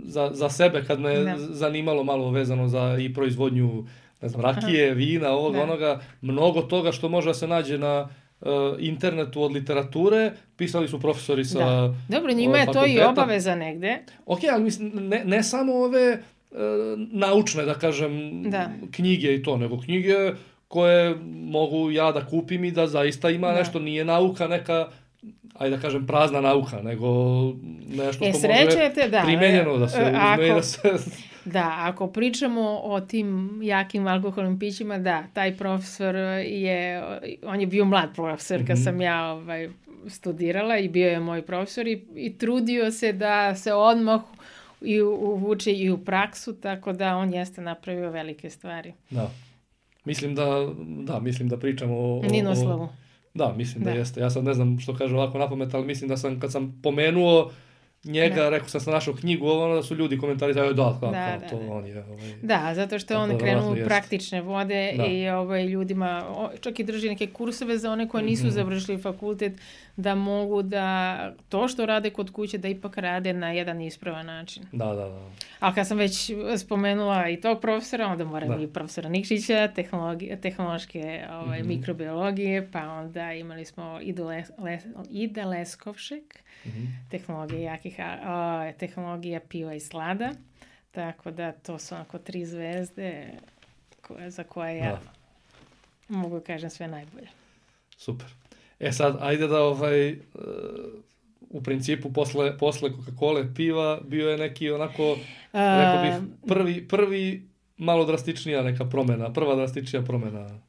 za, za sebe kad me Da. zanimalo malo vezano za i proizvodnju, ne znam, rakije, vina, ovog, Da. onoga, mnogo toga što može da se nađe na uh, internetu od literature, pisali su profesori sa Da. Dobro, njima ovaj, je to i fakulteta. obaveza negde. Ok, ali mislim, ne, ne samo ove e, naučne, da kažem, Da. knjige i to, nego knjige koje mogu ja da kupim i da zaista ima Da. nešto, nije nauka neka, ajde da kažem, prazna nauka, nego nešto E, što može srećete, da. primenjeno da se E, uzme ako- i da se... Da, ako pričamo o tim jakim alkoholnim pićima, da, taj profesor je, on je bio mlad profesor kad Mhm. sam ja ovaj, studirala i bio je moj profesor i, i trudio se da se odmah i uvuče i u praksu, tako da on jeste napravio velike stvari. Da. Mislim da, da, mislim da pričamo o... Ninoslavu. O, da, mislim da. da jeste. Ja sad ne znam što kaže ovako napamet, ali mislim da sam, kad sam pomenuo njega, da. rekao sam sam našao knjigu, ono da su ljudi komentarisali, da, kao, da, kao da, to da. on je. Ovaj, da, zato što on krenuo u praktične vode da. i ovaj, ljudima, čak i drži neke kurseve za one koji nisu mm-hmm. završili fakultet, da mogu da to što rade kod kuće, da ipak rade na jedan ispravan način. Da, da, da. Ali kad sam već spomenula i tog profesora, onda moram da. i profesora Nikšića, tehnološke ovaj, mm-hmm. mikrobiologije, pa onda imali smo Idu Les, Les, Ida Leskovšek, mm-hmm. tehnologije jakih, a, tehnologija piva i slada, tako da to su onako tri zvezde koje, za koje ja da. mogu kažem sve najbolje. Super. E sad, ajde da ovaj, u principu posle, posle Coca-Cola piva bio je neki onako, rekao bih, prvi, prvi malo drastičnija neka promjena, prva drastičnija promjena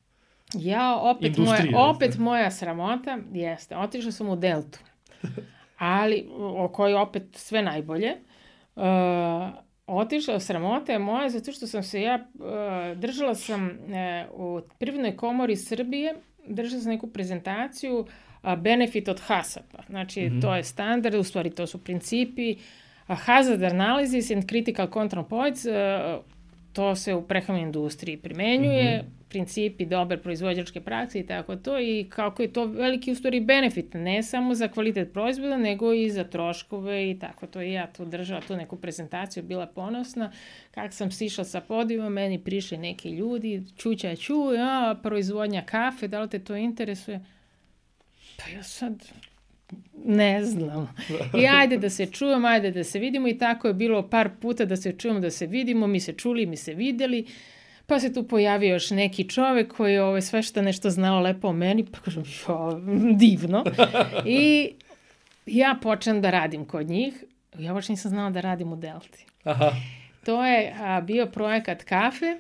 ja, opet, moja, opet moja sramota jeste, otišla sam u Deltu, ali o kojoj opet sve najbolje. Uh, otišla sramota je moja zato što sam se ja, uh, držala sam uh, u Privrednoj komori Srbije, držala sam neku prezentaciju a, benefit od hasapa. Znači, mm-hmm. to je standard, u stvari to su principi. A, hazard analysis and critical control points, a, to se u prehrambenoj industriji primenjuje, mm-hmm. principi dobre proizvođačke prakse i tako to, i kako je to veliki u stvari benefit, ne samo za kvalitet proizvoda, nego i za troškove i tako to. I ja tu držala tu neku prezentaciju, bila ponosna. Kako sam sišla sa podijuma, meni prišli neki ljudi, čuća ču, a, proizvodnja kafe, da li te to interesuje? Pa ja sad ne znam. I ajde da se čujemo, ajde da se vidimo, i tako je bilo par puta da se čujemo, da se vidimo, mi se čuli, mi se vidjeli. Pa se tu pojavio još neki čovjek koji je ovaj, sve što nešto znao lepo o meni, pa kažem, jo, divno. I ja počnem da radim kod njih. Ja baš nisam znala da radim u Delti. Aha. To je a, bio projekat kafe.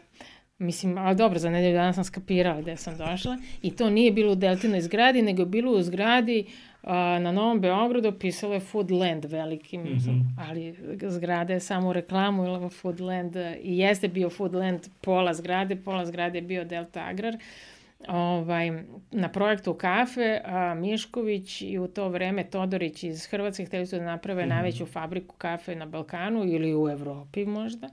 Mislim, ali dobro, za nedelju dana sam skapirala gde sam došla. I to nije bilo u Deltinoj zgradi, nego je bilo u zgradi a, na Novom Beogradu, pisalo je Foodland velikim, mm-hmm. ali zgrada je samo u reklamu, ili Foodland, i jeste bio Foodland pola zgrade, pola zgrade je bio Delta Agrar. Ovaj, na projektu kafe, a, Mišković i u to vreme Todorić iz Hrvatske hteli su da naprave mm-hmm. najveću fabriku kafe na Balkanu ili u Evropi možda.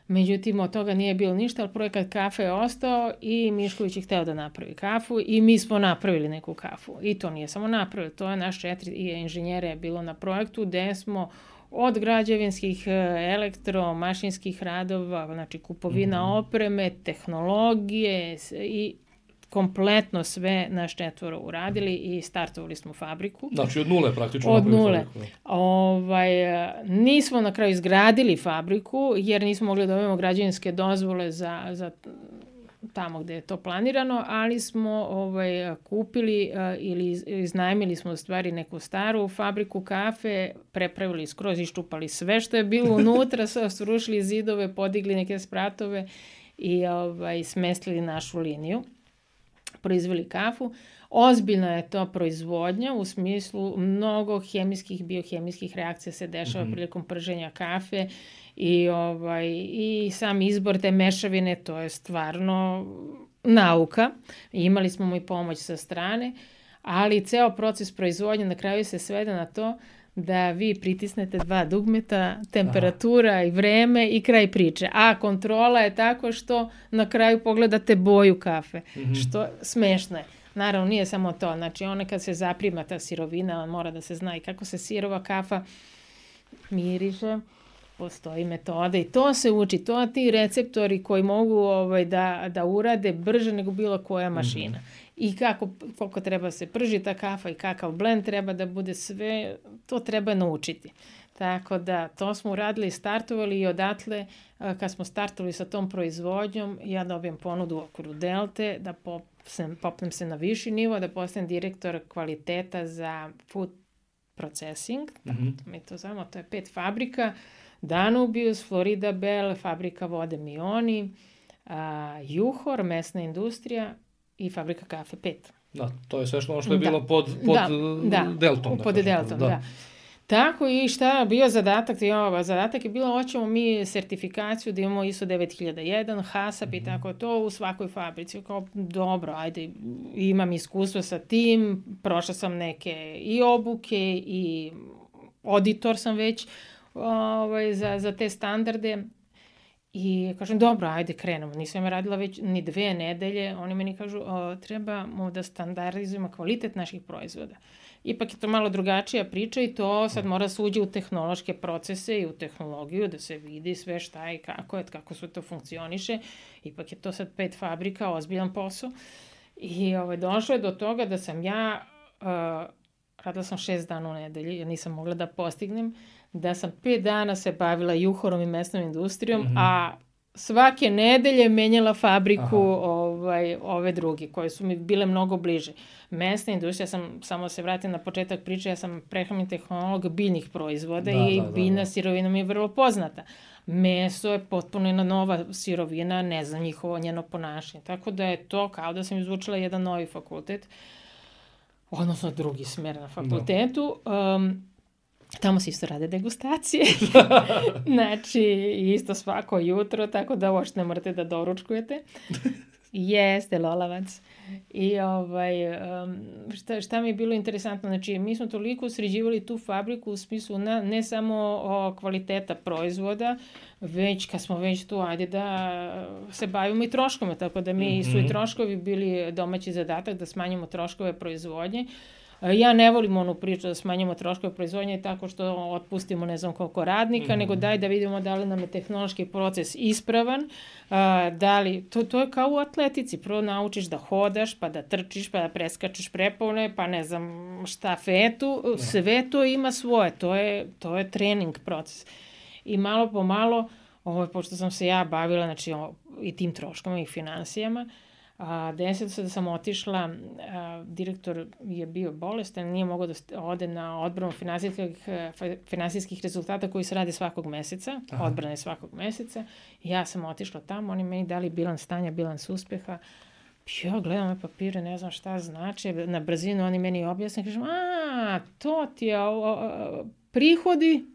Međutim, od toga nije bilo ništa, ali projekat kafe je ostao i Mišković je hteo da napravi kafu i mi smo napravili neku kafu. I to nije samo napravili, to je naš četiri inženjere je bilo na projektu, gde smo od građevinskih, elektro, mašinskih radova, znači kupovina mm-hmm. opreme, tehnologije i kompletno sve naš četvoro uradili i startovali smo fabriku. Znači od nule praktično. Od nule. Ovaj, nismo na kraju izgradili fabriku jer nismo mogli da dobijemo građevinske dozvole za, za tamo gde je to planirano, ali smo ovaj, kupili uh, ili iznajmili smo u stvari neku staru fabriku kafe, prepravili skroz, iščupali sve što je bilo unutra, srušili zidove, podigli neke spratove i ovaj, smestili našu liniju. Proizveli kafu. Ozbiljna je to proizvodnja u smislu mnogo hemijskih, biohemijskih reakcija se dešava mm-hmm. prilikom prženja kafe i, ovaj, i sam izbor te mešavine, to je stvarno nauka. Imali smo mu i pomoć sa strane, ali ceo proces proizvodnje na kraju se svede na to da vi pritisnete dva dugmeta, temperatura Aha. i vreme i kraj priče. A kontrola je tako što na kraju pogledate boju kafe, mm-hmm. što smešno je. Naravno, nije samo to. Znači, ona kad se zaprima ta sirovina, on mora da se zna i kako se sirova kafa miriše. Postoji metoda i to se uči. To ti receptori koji mogu ovaj, da, da urade brže nego bilo koja mašina. Mm-hmm. I kako, koliko treba se prži ta kafa i kakav blend treba da bude, sve, to treba naučiti. Tako da, to smo uradili i startovali i odatle, kad smo startovali sa tom proizvodnjom, ja dobijem ponudu u okviru Delte, da popnem, popnem se na viši nivo, da postanem direktor kvaliteta za food processing. Mm-hmm. Mi to znamo, to je pet fabrika, Danubius, Florida Bell, fabrika vode Mioni, a, Juhor, mesna industrija, i fabrika kafe pet. Da, to je sve što ono što je bilo da. pod, pod da, Deltom. Da, pod Deltom, da. da. Tako i šta bio zadatak, jo, zadatak je bilo hoćemo mi sertifikaciju da imamo I S O devet hiljada jedan, HASAP mm-hmm. i tako to u svakoj fabrici. Kao dobro, ajde, imam iskustvo sa tim, prošla sam neke i obuke i auditor sam već ovaj, za, za te standarde. I kažem, dobro, ajde, krenemo. Nisam ja radila već ni dve nedelje. Oni meni kažu, o, trebamo da standardizujemo kvalitet naših proizvoda. Ipak je to malo drugačija priča i to sad mora se uđe u tehnološke procese i u tehnologiju, da se vidi sve šta i kako je, kako sve to funkcioniše. Ipak je to sad pet fabrika, ozbiljan posao. I ovaj, došlo je do toga da sam ja, uh, radila sam šest dana u nedelji, jer nisam mogla da postignem, da sam pet dana se bavila juhorom i mesnom industrijom, mm-hmm. a svake nedelje menjala fabriku ovaj, ove druge, koje su mi bile mnogo bliže. Mesna industrija, ja sam, samo se vratim na početak priče, ja sam prehrambeni tehnolog biljnih proizvoda da, i da, biljna da, da. sirovina mi je vrlo poznata. Meso je potpuno jedna nova sirovina, ne znam njihovo njeno ponašanje. Tako da je to kao da sam izvučila jedan novi fakultet, odnosno drugi smer na fakultetu. Da. Um, Tamo se isto rade degustacije. Znači, isto svako jutro, tako da uopšte ne morate da doručkujete. Jeste, lolavac. I ovaj, um, šta, šta mi je bilo interesantno, znači, mi smo toliko sređivali tu fabriku u smislu na, ne samo o kvaliteta proizvoda, već kad smo već tu, ajde da se bavimo i troškome, tako da mi mm-hmm. su i troškovi bili domaći zadatak da smanjimo troškove proizvodnje. Ja ne volim onu priču da smanjimo troškove proizvodnje tako što otpustimo ne znam koliko radnika, mm-hmm. nego daj da vidimo da li nam je tehnološki proces ispravan, a, da li, to, to je kao u atletici, prvo naučiš da hodaš, pa da trčiš, pa da preskačeš prepone, pa ne znam štafetu, ne. Sve to ima svoje, to je, to je trening proces. I malo po malo, ovo, pošto sam se ja bavila znači, o, i tim troškama i finansijama, A, desilo se da sam otišla, a, direktor je bio bolestan, nije mogao da ode na odbranu finansijskih, finansijskih rezultata koji se rade svakog meseca, Aha. odbrane svakog meseca. I ja sam otišla tamo, oni meni dali bilans stanja, bilans uspeha. Ja gledam ove papire, ne znam šta znači, na brzinu oni meni objasne, kažem, a, to ti je o, o, prihodi.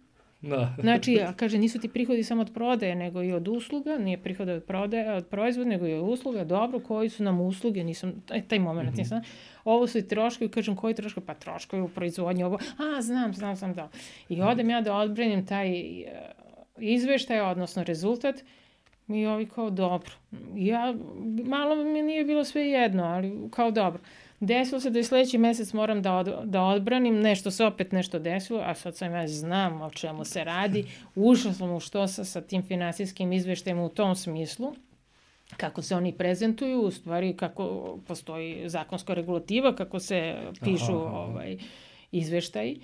Da. Znači, kaže, nisu ti prihodi samo od prodaje, nego i od usluga, nije prihod od prodaje, od proizvoda, nego i od usluga, dobro, koji su nam usluge, nisam, taj moment, mm-hmm. nisam, ovo su i troškovi, kažem, koji troškovi, pa troškovi u proizvodnji, ovo, a, znam, znam, znam, da. I odem ja da odbranim taj izveštaj, odnosno rezultat, i ovi kao, dobro. Ja, malo mi nije bilo sve jedno, ali kao dobro. Desilo se da i sledeći mesec moram da, od, da odbranim, nešto se opet nešto desilo, a sad sam ja znam o čemu se radi. Ušla sam u što sa, sa tim finansijskim izveštajima u tom smislu, kako se oni prezentuju, u stvari kako postoji zakonska regulativa, kako se pišu aha, aha. Ovaj, izveštaji,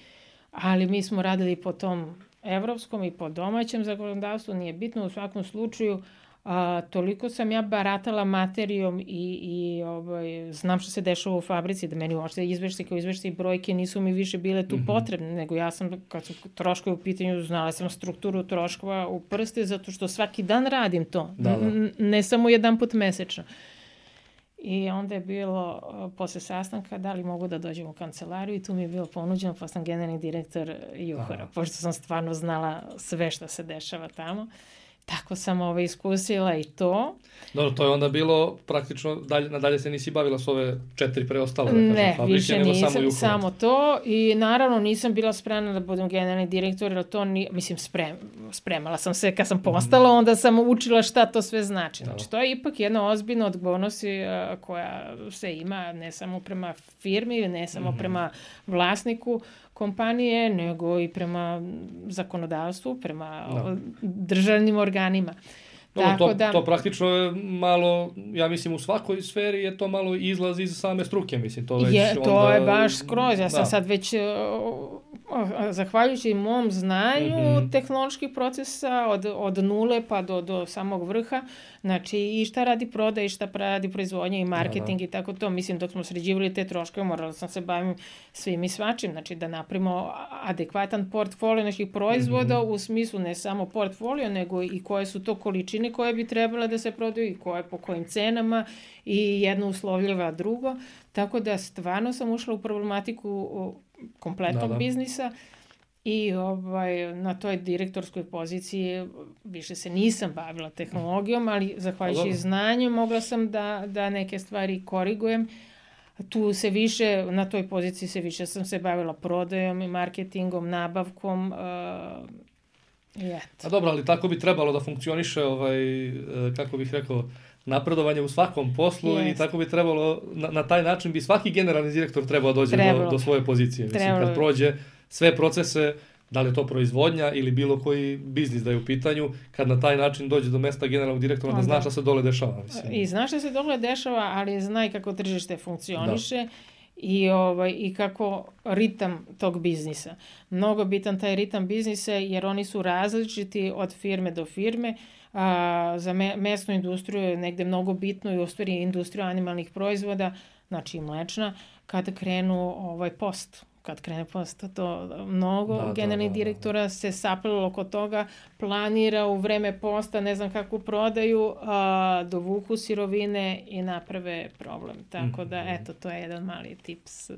ali mi smo radili po tom evropskom i po domaćem zakonodavstvu, nije bitno u svakom slučaju. A, toliko sam ja baratala materijom i, i ovaj, znam što se dešava u fabrici, da meni uopšte izveštaj kao izveštaj i brojke nisu mi više bile tu mm-hmm. potrebne, nego ja sam, kad su troškovi u pitanju, znala sam strukturu troškova u prste, zato što svaki dan radim to, da, da. N- ne samo jedan put mesečno. I onda je bilo, posle sastanka, da li mogu da dođem u kancelariju i tu mi je bilo ponuđeno, pa sam generalni direktor Juhora, pošto sam stvarno znala sve što se dešava tamo. Tako sam ovo iskusila i to. Dobro, to je onda bilo praktično, dalje, nadalje se nisi bavila s ove četiri preostale, da kažem, ne, fabrike, više nisam, samo, samo to. I naravno nisam bila spremna da budem generalni direktor, jer to ni, mislim, sprem, spremala sam se kad sam postala, mm. onda sam učila šta to sve znači. Znači, to je ipak jedna ozbiljna odgovornost koja se ima ne samo prema firmi, ne samo mm-hmm. prema vlasniku kompanije, nego i prema zakonodavstvu, prema no. državnim organima. No, Tako to, da, to praktično je malo, ja mislim u svakoj sferi je to malo izlaz iz same struke, mislim. To, već je, to onda, je baš skroz, ja sam da. sad već, zahvaljujući mom znanju mm-hmm. tehnoloških procesa od, od nule pa do, do samog vrha, znači i šta radi prodaj, i šta radi proizvodnja i marketing da, da. i tako to. Mislim, dok smo sređivali te troškove, morala sam se bavim svim i svačim, znači da napravimo adekvatan portfolio naših proizvoda mm-hmm. u smislu ne samo portfolio, nego i koje su to količine koje bi trebala da se prodaju i koje po kojim cenama i jedno uslovljava drugo. Tako da stvarno sam ušla u problematiku kompletnog da, da. biznisa I ovaj, na toj direktorskoj poziciji više se nisam bavila tehnologijom, ali zahvaljujući znanju mogla sam da, da neke stvari korigujem. Tu se više, na toj poziciji se više sam se bavila prodajom i marketingom, nabavkom. Uh, i eto. A dobro, ali tako bi trebalo da funkcioniše, ovaj, kako bih rekao, napredovanje u svakom poslu. Jest. I tako bi trebalo, na, na taj način bi svaki generalni direktor trebao dođe do, do svoje pozicije. Mislim, kad prođe sve procese, da li je to proizvodnja ili bilo koji biznis da je u pitanju, kad na taj način dođe do mesta generalnog direktora, onda znaš šta se dole dešava. Mislim. I znaš šta se dole dešava, ali znaj kako tržište funkcioniše. Da. I, ovaj, i kako ritam tog biznisa. Mnogo bitan taj ritam biznisa jer oni su različiti od firme do firme. A, za me, mesnu industriju je negde mnogo bitno i u stvari industriju animalnih proizvoda, znači i mlečna, kada krenu ovaj, post. Kad krene post, to mnogo da, generalnih da, da, direktora da. se saplelo oko toga, planira u vreme posta, ne znam kako prodaju, a, dovuku sirovine i naprave problem. Tako da, eto, to je jedan mali tips a,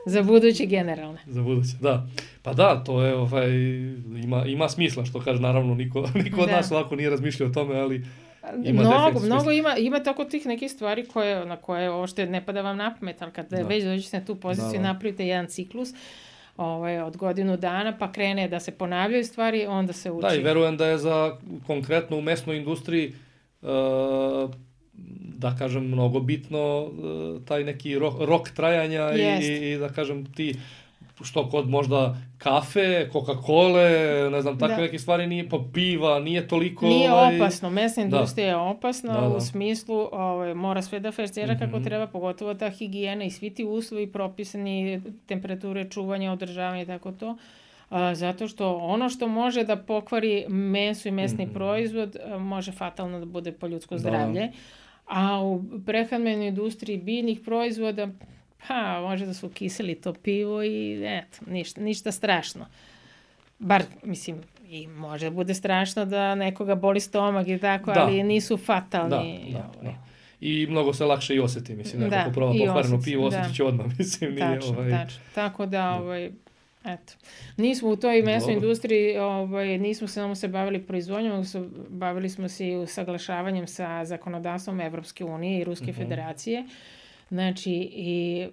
za buduće generalne. Za buduće, da. Pa da, to je, ovaj, ima, ima smisla, što kaže, naravno, niko, niko od da. nas ovako nije razmišljao o tome, ali ima mnogo, mnogo ima, ima tako tih nekih stvari koje, na koje ošte ne pada vam na pamet, ali kad da. već dođete na tu poziciju, da, da. napravite jedan ciklus ovaj, od godinu dana, pa krene da se ponavljaju stvari, onda se uči. Da, i verujem da je za konkretno u mesnoj industriji uh, da kažem mnogo bitno uh, taj neki rok, rok trajanja i, i da kažem ti što kod možda kafe, Coca-Cola, ne znam, takve da. neke stvari nije, pa piva, nije toliko... Nije ovaj... opasno, mesna industrija da. je opasna da, da. u smislu, ovaj, mora sve da festira mm-hmm. kako treba, pogotovo ta higijena i svi ti uslovi propisani, temperature, čuvanja, održavanja i tako to. A, zato što ono što može da pokvari meso i mesni mm-hmm. proizvod, a, može fatalno da bude po ljudsko zdravlje. Da. A u prehrambenoj industriji biljnih proizvoda, pa, može da su kiseli to pivo i eto, ništa, ništa strašno. Bar, mislim, i može da bude strašno da nekoga boli stomak i tako, da. ali nisu fatalni. Da, da, ovaj. da. I mnogo se lakše i osjeti, mislim, neko da, ko proba pokvareno pivo, osjetit će da. odmah, mislim. Nije, tačno, ovaj... tačno. Tako da, ovaj, eto, nismo u toj mesnoj industriji, ovaj, nismo samo se bavili proizvodnjom, bavili smo se i usaglašavanjem sa zakonodavstvom Evropske unije i Ruske uh-huh. federacije. Znači, i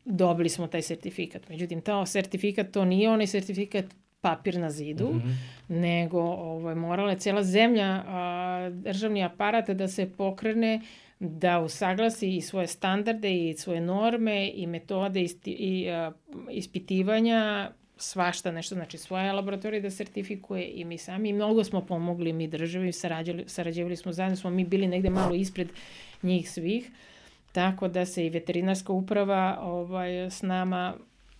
dobili smo taj sertifikat. Međutim, taj sertifikat, to nije onaj sertifikat papir na zidu, mm-hmm. nego ovaj, morala je cijela zemlja, a, državni aparat da se pokrene, da usaglasi i svoje standarde i svoje norme i metode isti, i a, ispitivanja, svašta nešto, znači svoje laboratorije da sertifikuje i mi sami. I mnogo smo pomogli mi državi, sarađivali, sarađivali smo zajedno, smo mi bili negde malo ispred njih svih. Tako da se i veterinarska uprava ovaj, s nama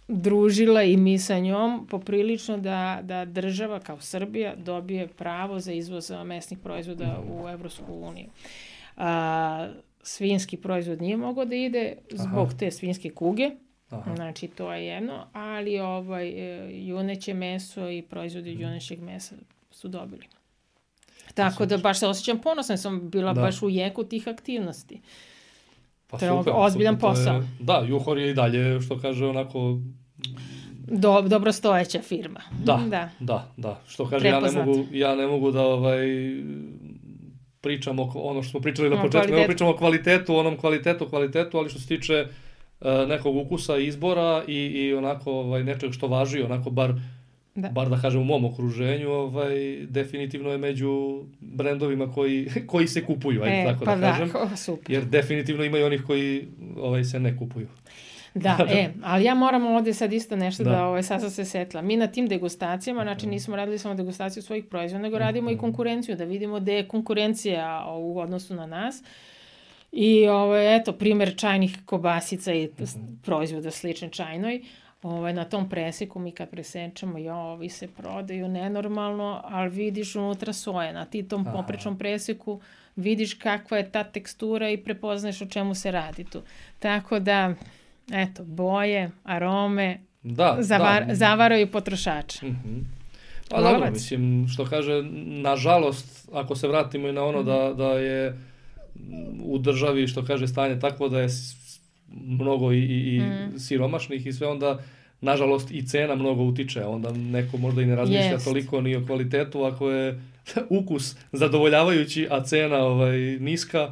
družila i mi sa njom poprilično da, da država kao Srbija dobije pravo za izvoz mesnih proizvoda u Evropsku uniju. A, svinjski proizvod nije mogao da ide zbog Aha. te svinjske kuge, Aha. znači to je jedno, ali ovaj, juneće meso i proizvodi junećeg mesa su dobili. Tako da baš se osjećam ponosna, sam bila da. baš u jeku tih aktivnosti. Pa to je super, ozbiljan super, posao. Je, da, Juhor je i dalje, što kaže, onako... Do, dobro stojeća firma. Da, da, da. da. Što kaže, ja ne, mogu, ja ne mogu da ovaj, pričam o ono što smo pričali na početku, ne pričamo o kvalitetu, onom kvalitetu, kvalitetu, ali što se tiče uh, nekog ukusa, izbora i, i onako ovaj, nečeg što važi, onako bar... Da. bar da kažem u mom okruženju, ovaj, definitivno je među brendovima koji, koji se kupuju, ajde e, tako pa da kažem. Da, super. Jer definitivno ima i onih koji ovaj, se ne kupuju. Da, e, ali ja moram ovdje sad isto nešto da, da ovaj, sad sam se setila. Mi na tim degustacijama, znači nismo radili samo degustaciju svojih proizvoda, nego radimo mm-hmm. i konkurenciju, da vidimo gde je konkurencija u odnosu na nas. I ovaj, eto, primjer čajnih kobasica i mm-hmm. proizvoda slične čajnoj. Ovaj, na tom preseku mi kad presečemo, jo, ovi se prodaju nenormalno, ali vidiš unutra soje. Na ti tom poprečnom preseku vidiš kakva je ta tekstura i prepoznaš o čemu se radi tu. Tako da, eto, boje, arome, da, zavar, da. zavaraju potrošača. Mm-hmm. Pa Lovac. Dobro, mislim, što kaže, nažalost, ako se vratimo i na ono mm-hmm. da, da je u državi, što kaže, stanje takvo da je mnogo i, i mm. siromašnih i sve, onda nažalost i cena mnogo utiče, onda neko možda i ne razmišlja Jest. toliko ni o kvalitetu ako je ukus zadovoljavajući, a cena ovaj, niska.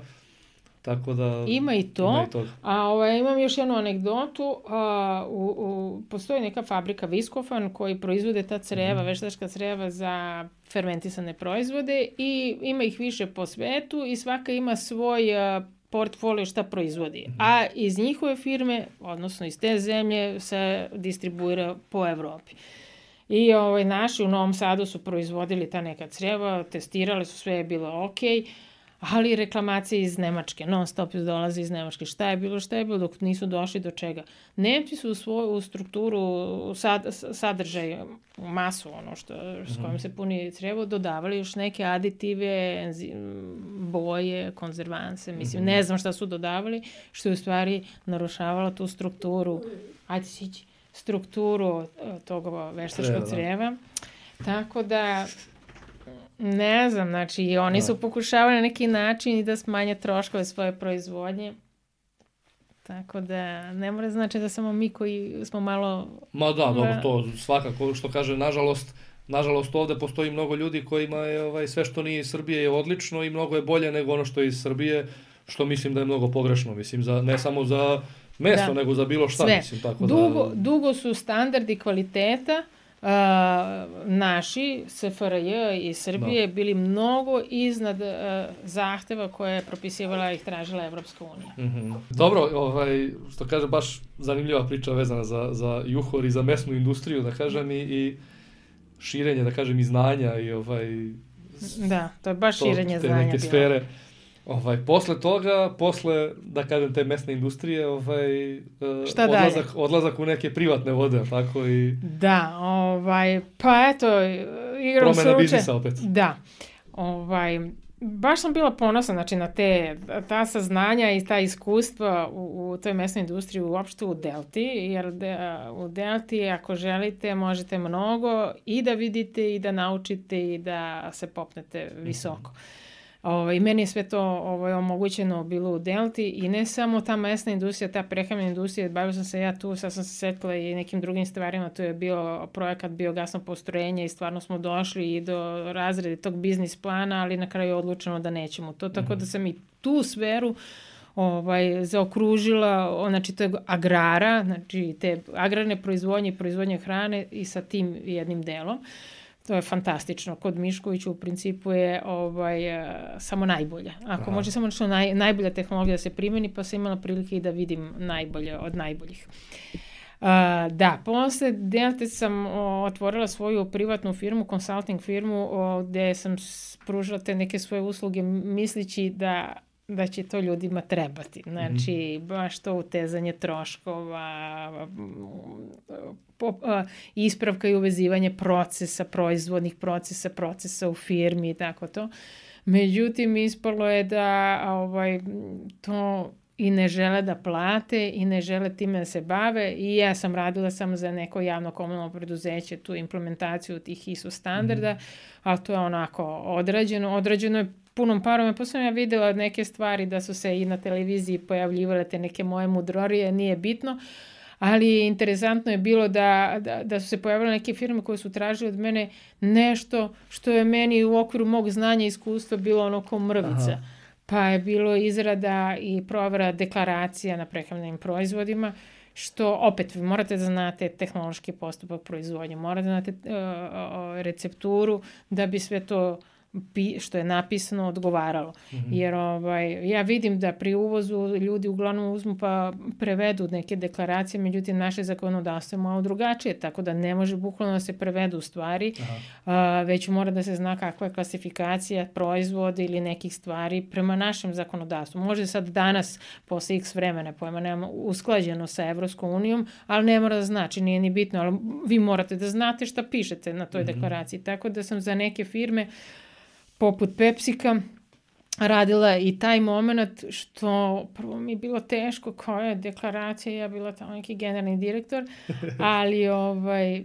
Tako da ima i to, ima i toga. a ovaj, imam još jednu anegdotu, a, u, u, postoji neka fabrika Viscofan koji proizvode ta creva, mm. veštačka creva za fermentisane proizvode i ima ih više po svetu i svaka ima svoj a, portfolio šta proizvodi, mm. a iz njihove firme, odnosno iz te zemlje, se distribuira po Evropi. I ovaj, naši u Novom Sadu su proizvodili ta neka creva, testirali su, sve je bilo okej, ali reklamacije iz Nemačke, non stop dolaze iz Nemačke. Šta je bilo, šta je bilo dok nisu došli do čega? Nemci su u svoju strukturu, u sad, sadržaj, u masu, ono što, s kojom se puni crevo, dodavali još neke aditive, boje, konzervanse, mislim, ne znam šta su dodavali, što je u stvari narušavalo tu strukturu, ajde sići, strukturu tog veštačkog creva. Tako da, ne znam, znači oni da. su pokušavali na neki način i da smanje troškove svoje proizvodnje. Tako da ne mora znači da samo mi koji smo malo... Ma da, dobro, to svakako što kaže, nažalost, nažalost ovde postoji mnogo ljudi kojima je ovaj, sve što nije iz Srbije je odlično i mnogo je bolje nego ono što je iz Srbije, što mislim da je mnogo pogrešno, mislim, za, ne samo za meso, da. nego za bilo šta. Sve. Mislim, tako dugo, da... dugo su standardi kvaliteta Uh, naši, S F R J i Srbije, da. bili mnogo iznad uh, zahteva koje je propisivala i tražila Evropska unija. Mm-hmm. Dobro, ovaj, što kaže, baš zanimljiva priča vezana za, za juhor i za mesnu industriju, da kažem, i, i širenje, da kažem, i znanja i ovaj... Da, to je baš to, širenje znanja neke bilo. Sfere. Ovaj, posle toga, posle, da kažem, te mesne industrije, ovaj, Šta odlazak, dalje? odlazak u neke privatne vode, tako i... Da, ovaj, pa eto, igram promena biznisa opet. Da, ovaj, baš sam bila ponosna, znači, na te, ta saznanja i ta iskustva u, u toj mesnoj industriji, uopšte u Delti, jer de, u Delti, ako želite, možete mnogo i da vidite i da naučite i da se popnete visoko. Mm-hmm. Ovaj, meni je sve to ovaj, omogućeno bilo u Delti i ne samo ta mesna industrija, ta prehrambena industrija, bavila sam se ja tu, sad sam se setila i nekim drugim stvarima, tu je bio projekat biogasno postrojenje i stvarno smo došli i do razrede tog biznis plana, ali na kraju je odlučeno da nećemo to, tako da sam i tu sferu ovaj, zaokružila, znači to je agrara, znači te agrarne proizvodnje i proizvodnje hrane i sa tim jednim delom. To je fantastično. Kod Miškovića u principu je ovaj, samo najbolje. Ako Aha. može samo nešto naj, najbolja tehnologija da se primeni, pa sam imala prilike i da vidim najbolje od najboljih. Uh, da, posle Delte sam o, otvorila svoju privatnu firmu, consulting firmu, o, gde sam pružila te neke svoje usluge mislići da da će to ljudima trebati. Znači, mm-hmm. baš to utezanje troškova, po, a, ispravka i uvezivanje procesa, proizvodnih procesa, procesa u firmi i tako to. Međutim, ispalo je da ovaj, to i ne žele da plate i ne žele time da se bave i ja sam radila samo za neko javno komunalno preduzeće tu implementaciju tih I S O standarda, mm-hmm. ali to je onako odrađeno. Odrađeno je punom parom, pa sam ja videla neke stvari da su se i na televiziji pojavljivale te neke moje mudrorije, nije bitno, ali interesantno je bilo da, da, da su se pojavile neke firme koje su tražile od mene nešto što je meni u okviru mog znanja i iskustva bilo ono ko mrvica. Aha. Pa je bilo izrada i provera deklaracija na prehrambenim proizvodima, što opet vi morate da znate tehnološki postupak proizvodnje, morate da znate uh, recepturu da bi sve to što je napisano odgovaralo. Mm-hmm. Jer ovaj, ja vidim da pri uvozu ljudi uglavnom uzmu pa prevedu neke deklaracije, međutim naše zakonodavstvo je malo drugačije, tako da ne može bukvalno da se prevedu stvari, a, već mora da se zna kakva je klasifikacija proizvoda ili nekih stvari prema našem zakonodavstvu. Može sad danas, posle x vremena, pojma nemamo usklađeno sa Evropskom unijom, ali ne mora da znači, nije ni bitno, ali vi morate da znate šta pišete na toj mm-hmm. deklaraciji. Tako da sam za neke firme poput Pepsika radila i taj moment što prvo mi je bilo teško koja je deklaracija, ja bila tamo neki generalni direktor, ali ovaj,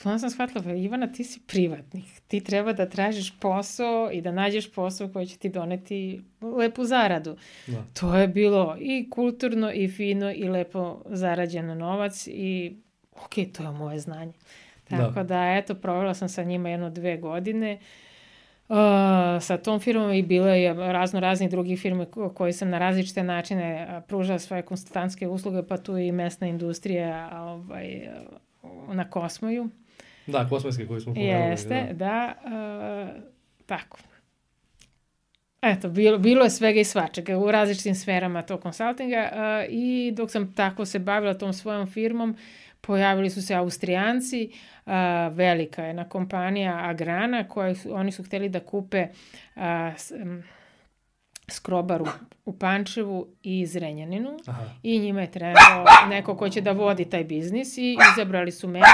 onda sam shvatila, Ivana, ti si privatnik, ti treba da tražiš posao i da nađeš posao koji će ti doneti lepu zaradu. Da. To je bilo i kulturno i fino i lepo zarađeno novac i ok, to je moje znanje. Tako da, da eto, provela sam sa njima jedno dve godine. Uh, sa tom firmom i bilo je razno raznih drugih firme koji sam na različite načine pružala svoje konsultantske usluge, pa tu i mesna industrija ovaj, na Kosmoju. Da, kosmijski koji smo pomenuli. Jeste, da. da uh, tako. Eto, bilo, bilo je svega i svačega u različitim sferama tog konsultinga uh, i dok sam tako se bavila tom svojom firmom, pojavili su se Austrijanci, uh, velika jedna kompanija Agrana, koja su, oni su hteli da kupe uh, s, um, skrobaru u Pančevu i Zrenjaninu. Aha. I njima je trebao neko ko će da vodi taj biznis i izabrali su mene.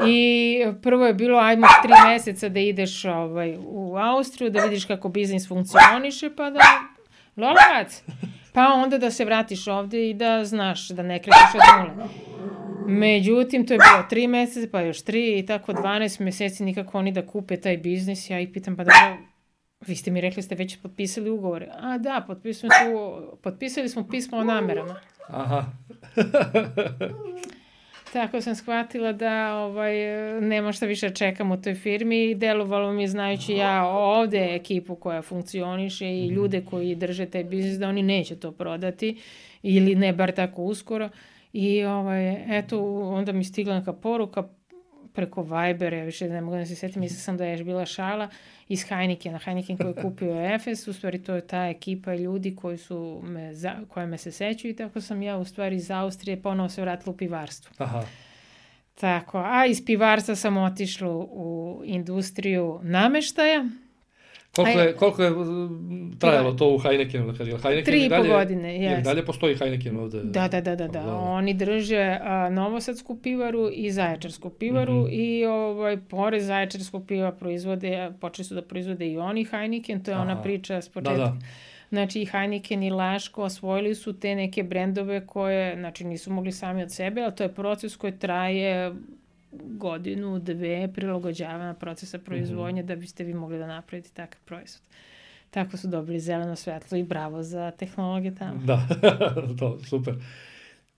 I prvo je bilo, ajmo tri meseca da ideš ovaj, u Austriju, da vidiš kako biznis funkcioniše, pa da lolovac. Pa onda da se vratiš ovde i da znaš, da ne krećeš od nule. Međutim, to je bilo tri meseca, pa još tri i tako dvanaest meseci nikako oni da kupe taj biznis. Ja ih pitam, pa da, vi ste mi rekli ste već potpisali ugovore. A da, potpisali smo, potpisali smo pismo o namerama. Aha. Tako sam shvatila da ovaj, nema šta više čekam u toj firmi i delovalo mi znajući ja ovde ekipu koja funkcioniše i ljude koji drže taj biznis da oni neće to prodati ili ne bar tako uskoro. I ovaj, eto, onda mi stigla neka poruka preko Vibera, ja više ne mogu da se setim, mislila sam da je još bila šala, iz Heinekena, Heineken koji je kupio Efes, u stvari to je ta ekipa ljudi koji su me, za, koje me se sećaju i tako sam ja u stvari iz Austrije ponovo se vratila u pivarstvo. Aha. Tako, a iz pivarstva sam otišla u industriju nameštaja. Koliko je, koliko je trajalo to u Heinekenu? Heineken Tri i po godine, jes. Jer dalje postoji Heineken ovde? Da, da, da, da, da. Oni drže a, Novosadsku pivaru i Zaječarsku pivaru mm-hmm. i ovaj, pored Zaječarskog piva proizvode, počeli su da proizvode i oni Heineken, to je Aha. ona priča s početka. Da, da. Znači i Heineken i Laško osvojili su te neke brendove koje, znači nisu mogli sami od sebe, ali to je proces koji traje godinu, dve prilagođavanja procesa proizvodnje mm-hmm. da biste vi mogli da napravite takav proizvod. Tako su dobili zeleno svetlo i bravo za tehnologije tamo. Da, to, super.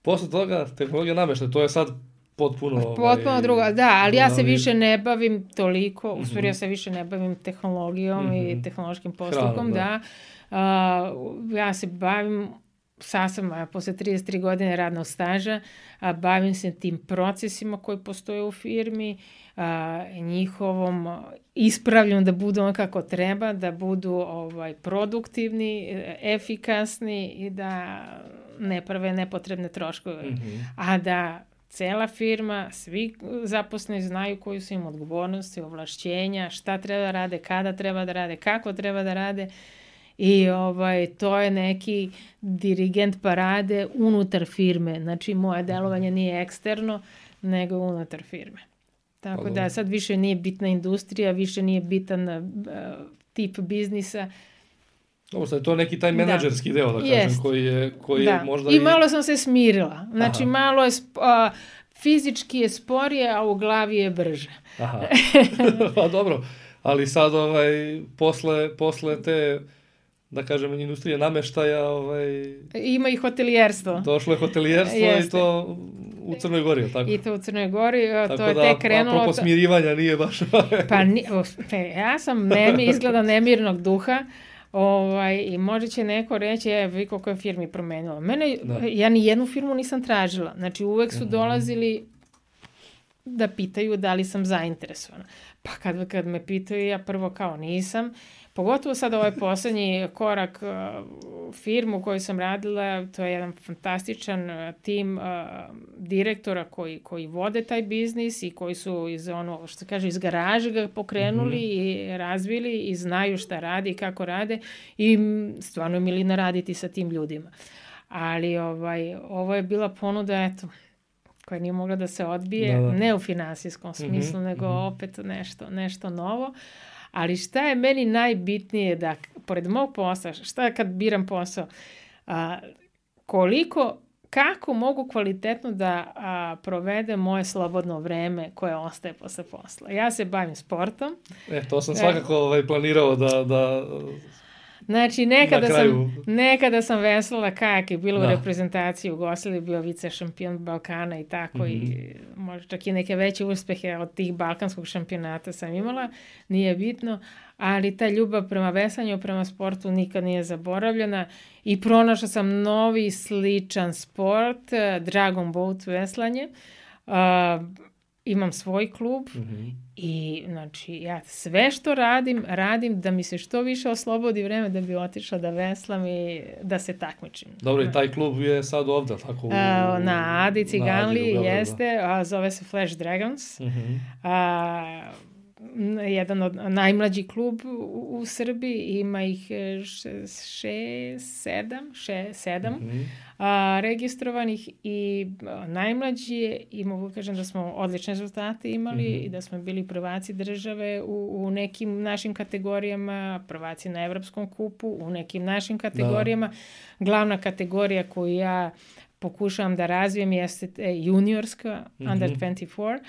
Posle toga, tehnologija nameštaja, to je sad potpuno... Potpuno ovaj, drugo, da, ali ja se više ne bavim toliko, u stvari ja se više ne bavim tehnologijom mm-hmm. i tehnološkim postupkom, Hranom, da. da. Uh, ja se bavim sad sam, posle trideset tri godine radnog staža, a, bavim se tim procesima koji postoje u firmi, a, njihovom ispravljom da budu ono kako treba, da budu ovaj, produktivni, efikasni i da ne prave nepotrebne troškove. Mm-hmm. A da cela firma, svi zaposleni znaju koji su im odgovornosti, ovlašćenja, šta treba da rade, kada treba da rade, kako treba da rade. I ovaj, to je neki dirigent parade unutar firme. Znači, moje delovanje nije eksterno, nego unutar firme. Tako da sad više nije bitna industrija, više nije bitan uh, tip biznisa. Dobro, sad je to neki taj menadžerski da. deo, da kažem, Jest. koji je, koji da. je možda... I malo sam se smirila. Znači, Aha. malo je... Uh, fizički je sporije, a u glavi je brže. Aha. Pa dobro, ali sad ovaj, posle, posle te... da kažem, industrije nameštaja, ovaj... Ima i hotelijerstvo. Došlo je hotelijerstvo i to u Crnoj Gori, tako? I to u Crnoj Gori, tako to je da, tek krenulo... Tako da, apropo smirivanja nije baš... pa ni, ja sam nemi, izgleda nemirnog duha, ovaj, i možda će neko reći, je, vi koliko je firmi promenilo. Mene, da. ja ni jednu firmu nisam tražila. Znači, uvek su mm-hmm. dolazili da pitaju da li sam zainteresovana. Pa kad, kad me pitaju, ja prvo kao nisam. Pogotovo sad ovaj poslednji korak uh, firmu u kojoj sam radila, to je jedan fantastičan uh, tim uh, direktora koji, koji vode taj biznis i koji su iz ono, što se kaže, iz garaže ga pokrenuli mm-hmm. i razvili i znaju šta radi i kako rade i stvarno je milina raditi sa tim ljudima. Ali ovaj, ovo je bila ponuda, eto, koja nije mogla da se odbije, da, da. ne u finansijskom smislu, mm-hmm. nego mm-hmm. opet nešto, nešto novo. Ali šta je meni najbitnije da, pored mog posla, šta je kad biram posao, a, koliko, kako mogu kvalitetno da a, provedem moje slobodno vreme koje ostaje posle posla. Ja se bavim sportom. E, to sam svakako ovaj, planirao da... da... Znači, nekada, Na kraju. sam, nekada sam veslala kajak i bila Da. u reprezentaciji u Jugoslaviji, bio vice šampion Balkana i tako, Mhm. i možda čak i neke veće uspehe od tih balkanskog šampionata sam imala, nije bitno, ali ta ljubav prema veslanju, prema sportu nikad nije zaboravljena i pronašla sam novi sličan sport, eh, Dragon Boat veslanje. Uh, imam svoj klub Mhm. i znači ja sve što radim, radim da mi se što više oslobodi vreme da bi otišla da veslam i da se takmičim. Dobro, i taj klub je sad ovdje, tako? U, A, na Adi Ciganli u Beogradu, da. jeste, a zove se Flash Dragons. Mhm. A, n- jedan od najmlađi klub u, u Srbiji, ima ih e, š- šest, sedam, še, sedam Mhm. a, registrovanih i a, najmlađi je, i mogu kažem da smo odlične rezultate imali Mhm. i da smo bili prvaci države u, u nekim našim kategorijama, prvaci na Evropskom kupu, u nekim našim kategorijama. Glavna kategorija koju ja pokušavam da razvijem jeste e, juniorska, Mhm. under dvadeset četiri.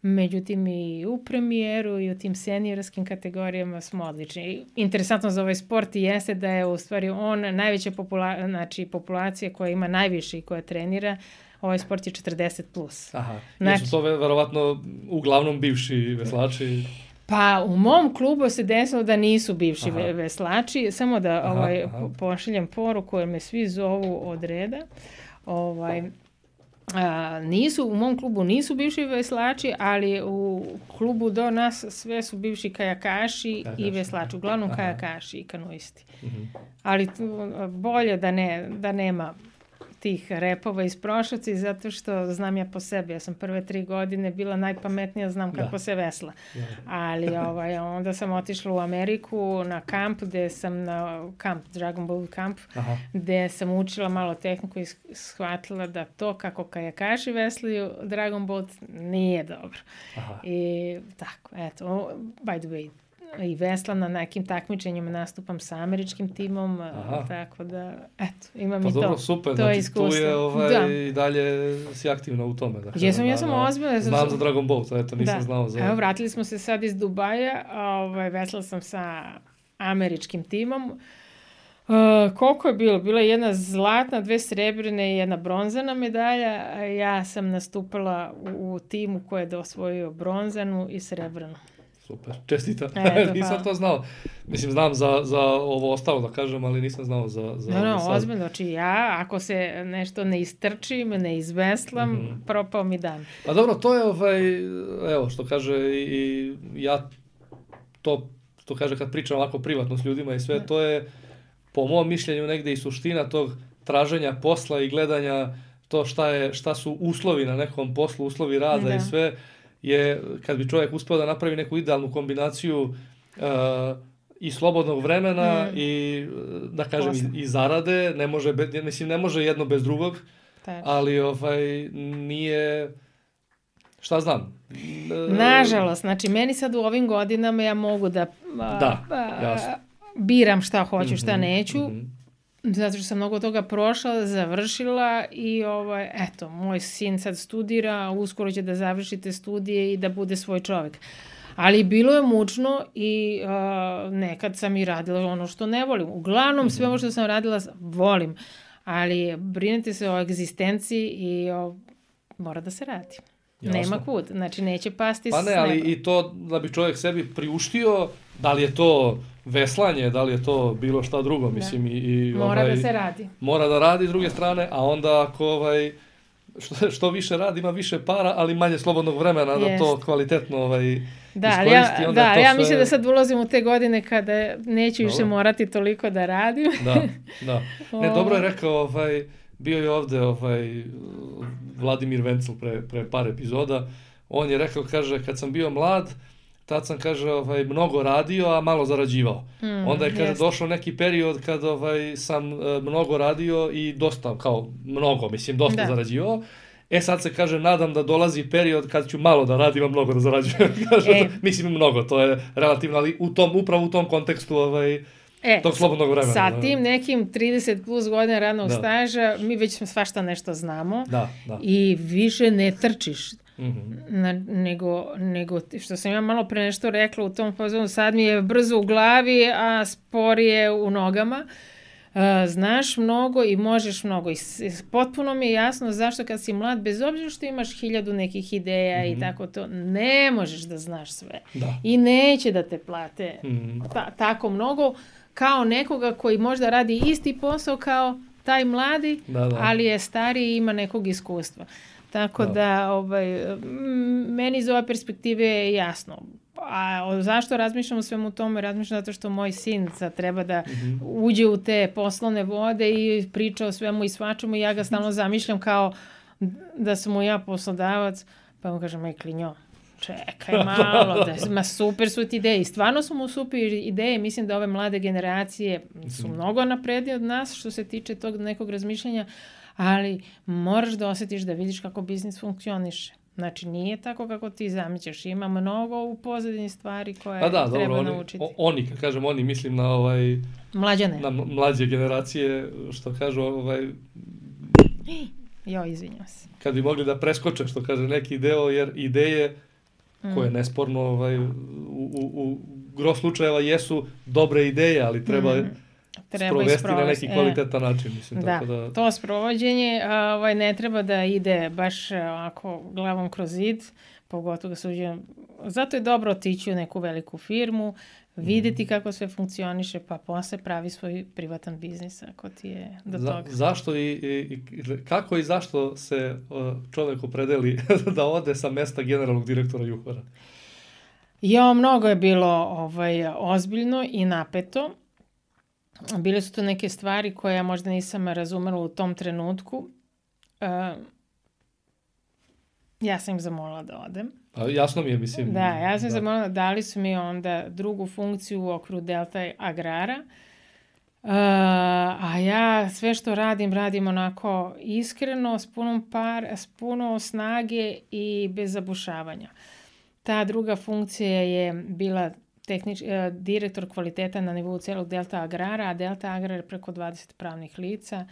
Međutim, i u premijeru i u tim seniorskim kategorijama smo odlični. I interesantno za ovaj sport jeste da je u stvari on najveća popula znači, populacija koja ima najviše i koja trenira. Ovaj sport je četrdeset plus. Aha, Znači- jesu to ve- verovatno uglavnom bivši veslači? Pa u mom klubu se desilo da nisu bivši Aha. ve- veslači. Samo da Aha, ovaj, aha. po- pošaljem poruku jer me svi zovu od reda. Ovaj, a, nisu, u mom klubu nisu bivši veslači, ali u klubu do nas sve su bivši kajakaši Kajakaši, i veslači. Uglavnom aha. kajakaši i kanoisti. Mhm. Ali tu, bolje da, ne, da nema tih repova iz prošlosti, zato što znam ja po sebi. Ja sam prve tri godine bila najpametnija, znam kako Da. se vesla. Da. Ali ovaj, onda sam otišla u Ameriku na kamp, gde sam na kamp, Dragon Boat kamp, Aha. gde sam učila malo tehniku i shvatila da to kako kajakaši veslaju Dragon Boat nije dobro. Aha. I tako, eto, by the way, i veslam na nekim takmičenjima, nastupam sa američkim timom, Aha. tako da, eto, imam Pa i to. dobro, super, to je znači iskustvo. tu je ovaj, Da. i dalje si aktivna u tome. Dakle, Jesam, na- ja sam na- ozbiljna. Znam za Dragon Boat, eto nisam Da. znao za... Evo, vratili smo se sad iz Dubaja, ovaj, veslala sam sa američkim timom. Uh, koliko je bilo? Bila je jedna zlatna, dve srebrne i jedna bronzana medalja. a Ja sam nastupala u, u timu koji je osvojio bronzanu i srebrnu. Super, čestita. Eto, nisam hvala. to znao. Mislim, znam za, za ovo ostalo da kažem, ali nisam znao za, za No, ovo no, sad. ozbiljno. Znači ja, ako se nešto ne istrčim, ne izveslam, Mhm. propao mi dan. Pa dobro, to je ovaj, evo što kaže i, i ja to, to kaže kad pričam ovako privatno s ljudima i sve, Da. to je po mom mišljenju negde i suština tog traženja posla i gledanja to šta, je, šta su uslovi na nekom poslu, uslovi rada Da. i sve, je kad bi čovjek uspeo da napravi neku idealnu kombinaciju uh, i slobodnog vremena Mm. i, eh, da kažem, Posla. i, i zarade, ne može, be, mislim, ne može jedno bez drugog, Tačno. ali ovaj, nije, šta znam. E, Nažalost, znači meni sad u ovim godinama ja mogu da, a, Da, a, jasno. biram šta hoću, šta Mhm, neću, mhm. zato što sam mnogo toga prošla, završila i ovaj, eto, moj sin sad studira, uskoro će da završi te studije i da bude svoj čovjek. Ali bilo je mučno i a, nekad sam i radila ono što ne volim. Uglavnom sve ovo što sam radila volim, ali brinete se o egzistenciji i o, mora da se radi. Jasno. Nema kud, znači neće pasti Pa s ne, ali neba. i to da bi čovjek sebi priuštio, da li je to veslanje, da li je to bilo šta drugo, mislim, i, i Mora ovaj, da se radi. mora da radi s druge strane, a onda ako ovaj, što, što više radi, ima više para, ali manje slobodnog vremena da to Jest. kvalitetno ovaj, Da, ali ja, iskoristi, onda da, je to ja sve- mislim da sad ulazim u te godine kada neću više Dobro. morati toliko da radim. Da, da. Ne, dobro je rekao, ovaj, bio je ovde ovaj, Vladimir Vencel pre, pre par epizoda, on je rekao, kaže, kad sam bio mlad, tad sam, kaže, ovaj, mnogo radio, a malo zarađivao. Mm, Onda je, kaže, jeste. došao neki period kad ovaj, sam e, mnogo radio i dosta, kao mnogo, mislim, dosta Da. zarađivao. E sad se, kaže, nadam da dolazi period kad ću malo da radim, a mnogo da zarađujem. Kaže, E. mislim, mnogo, to je relativno, ali u tom, upravo u tom kontekstu ovaj, E, tog slobodnog vremena. sa da. tim nekim trideset plus godina radnog Da. staža, mi već svašta nešto znamo Da, da. i više ne trčiš. Mm-hmm. Na, nego, nego, što sam ja malo pre nešto rekla u tom fazonu, sad mi je brzo u glavi, a sporije u nogama. Uh, znaš mnogo i možeš mnogo. I potpuno mi je jasno zašto kad si mlad, bez obzira što imaš hiljadu nekih ideja mm-hmm. i tako to, ne možeš da znaš sve. Da. I neće da te plate mm-hmm. ta, tako mnogo kao nekoga koji možda radi isti posao kao taj mladi, da, da. ali je stariji i ima nekog iskustva. Tako da, da ovaj, meni iz ove perspektive je jasno. A zašto razmišljam o svemu tome? Razmišljam zato što moj sin sad treba da mm-hmm. uđe u te poslovne vode i priča o svemu i svačemu i ja ga stalno zamišljam kao da sam mu ja poslodavac, pa mu kažem, aj klinjo, čekaj malo, da, ma super su ti ideje. I stvarno su mu super ideje. Mislim da ove mlade generacije su mnogo naprednije od nas što se tiče tog nekog razmišljanja, ali moraš da osjetiš da vidiš kako biznis funkcioniše. Znači, nije tako kako ti zamišljaš. Ima mnogo u pozadini stvari koje da, da, treba dobro, naučiti. Oni, oni, kad kažem oni, mislim na ovaj... Mlađane. Na mlađe generacije, što kažu ovaj... Jo, izvinjam se. Kad bi mogli da preskoče, što kaže neki deo, jer ideje mm. koje nesporno ovaj, u, u, u gro slučajeva jesu dobre ideje, ali treba... Mm. Treba sprovesti na neki kvalitetan e, način. Mislim, da, tako da, to sprovođenje ovaj, ne treba da ide baš ovako glavom kroz zid, pogotovo ga suđe. Zato je dobro otići u neku veliku firmu, vidjeti mm. kako sve funkcioniše, pa posle pravi svoj privatan biznis ako ti je do Za, toga. Zašto i, i, kako i zašto se čovjek opredeli da ode sa mesta generalnog direktora Juhora? Jo, mnogo je bilo ovaj, ozbiljno i napeto. Bile su to neke stvari koje ja možda nisam razumela u tom trenutku. Uh, ja sam im zamolila da odem. A jasno mi je, mislim. Da, ja sam da. zamolila, dali su mi onda drugu funkciju u okviru Delta Agrara. Uh, a ja sve što radim, radim onako iskreno, s punom par, s puno snage i bez zabušavanja. Ta druga funkcija je bila Tehnič, eh, direktor kvaliteta na nivou celog Delta Agrara, a Delta Agrar je preko dvadeset pravnih lica.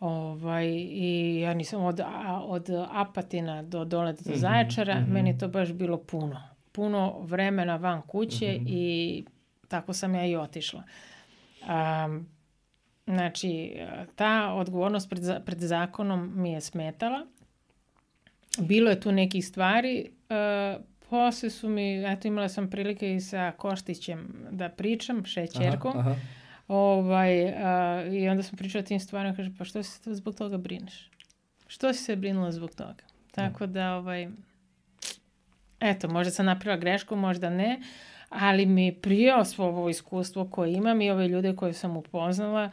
Ovaj, i ja nisam od, a, od Apatina do dole do mm-hmm, Zaječara, mm-hmm. meni je to baš bilo puno. Puno vremena van kuće mm-hmm. i tako sam ja i otišla. Um, znači, ta odgovornost pred, pred zakonom mi je smetala. Bilo je tu nekih stvari, uh, posle su mi, eto imala sam prilike i sa Koštićem da pričam, šećerkom. Aha, aha. Ovaj, a, i onda sam pričala o tim stvarima, kaže, pa što si se zbog toga brineš? Što si se brinula zbog toga? Tako da, ovaj, eto, možda sam napravila grešku, možda ne, ali mi prijao svo ovo iskustvo koje imam i ove ljude koje sam upoznala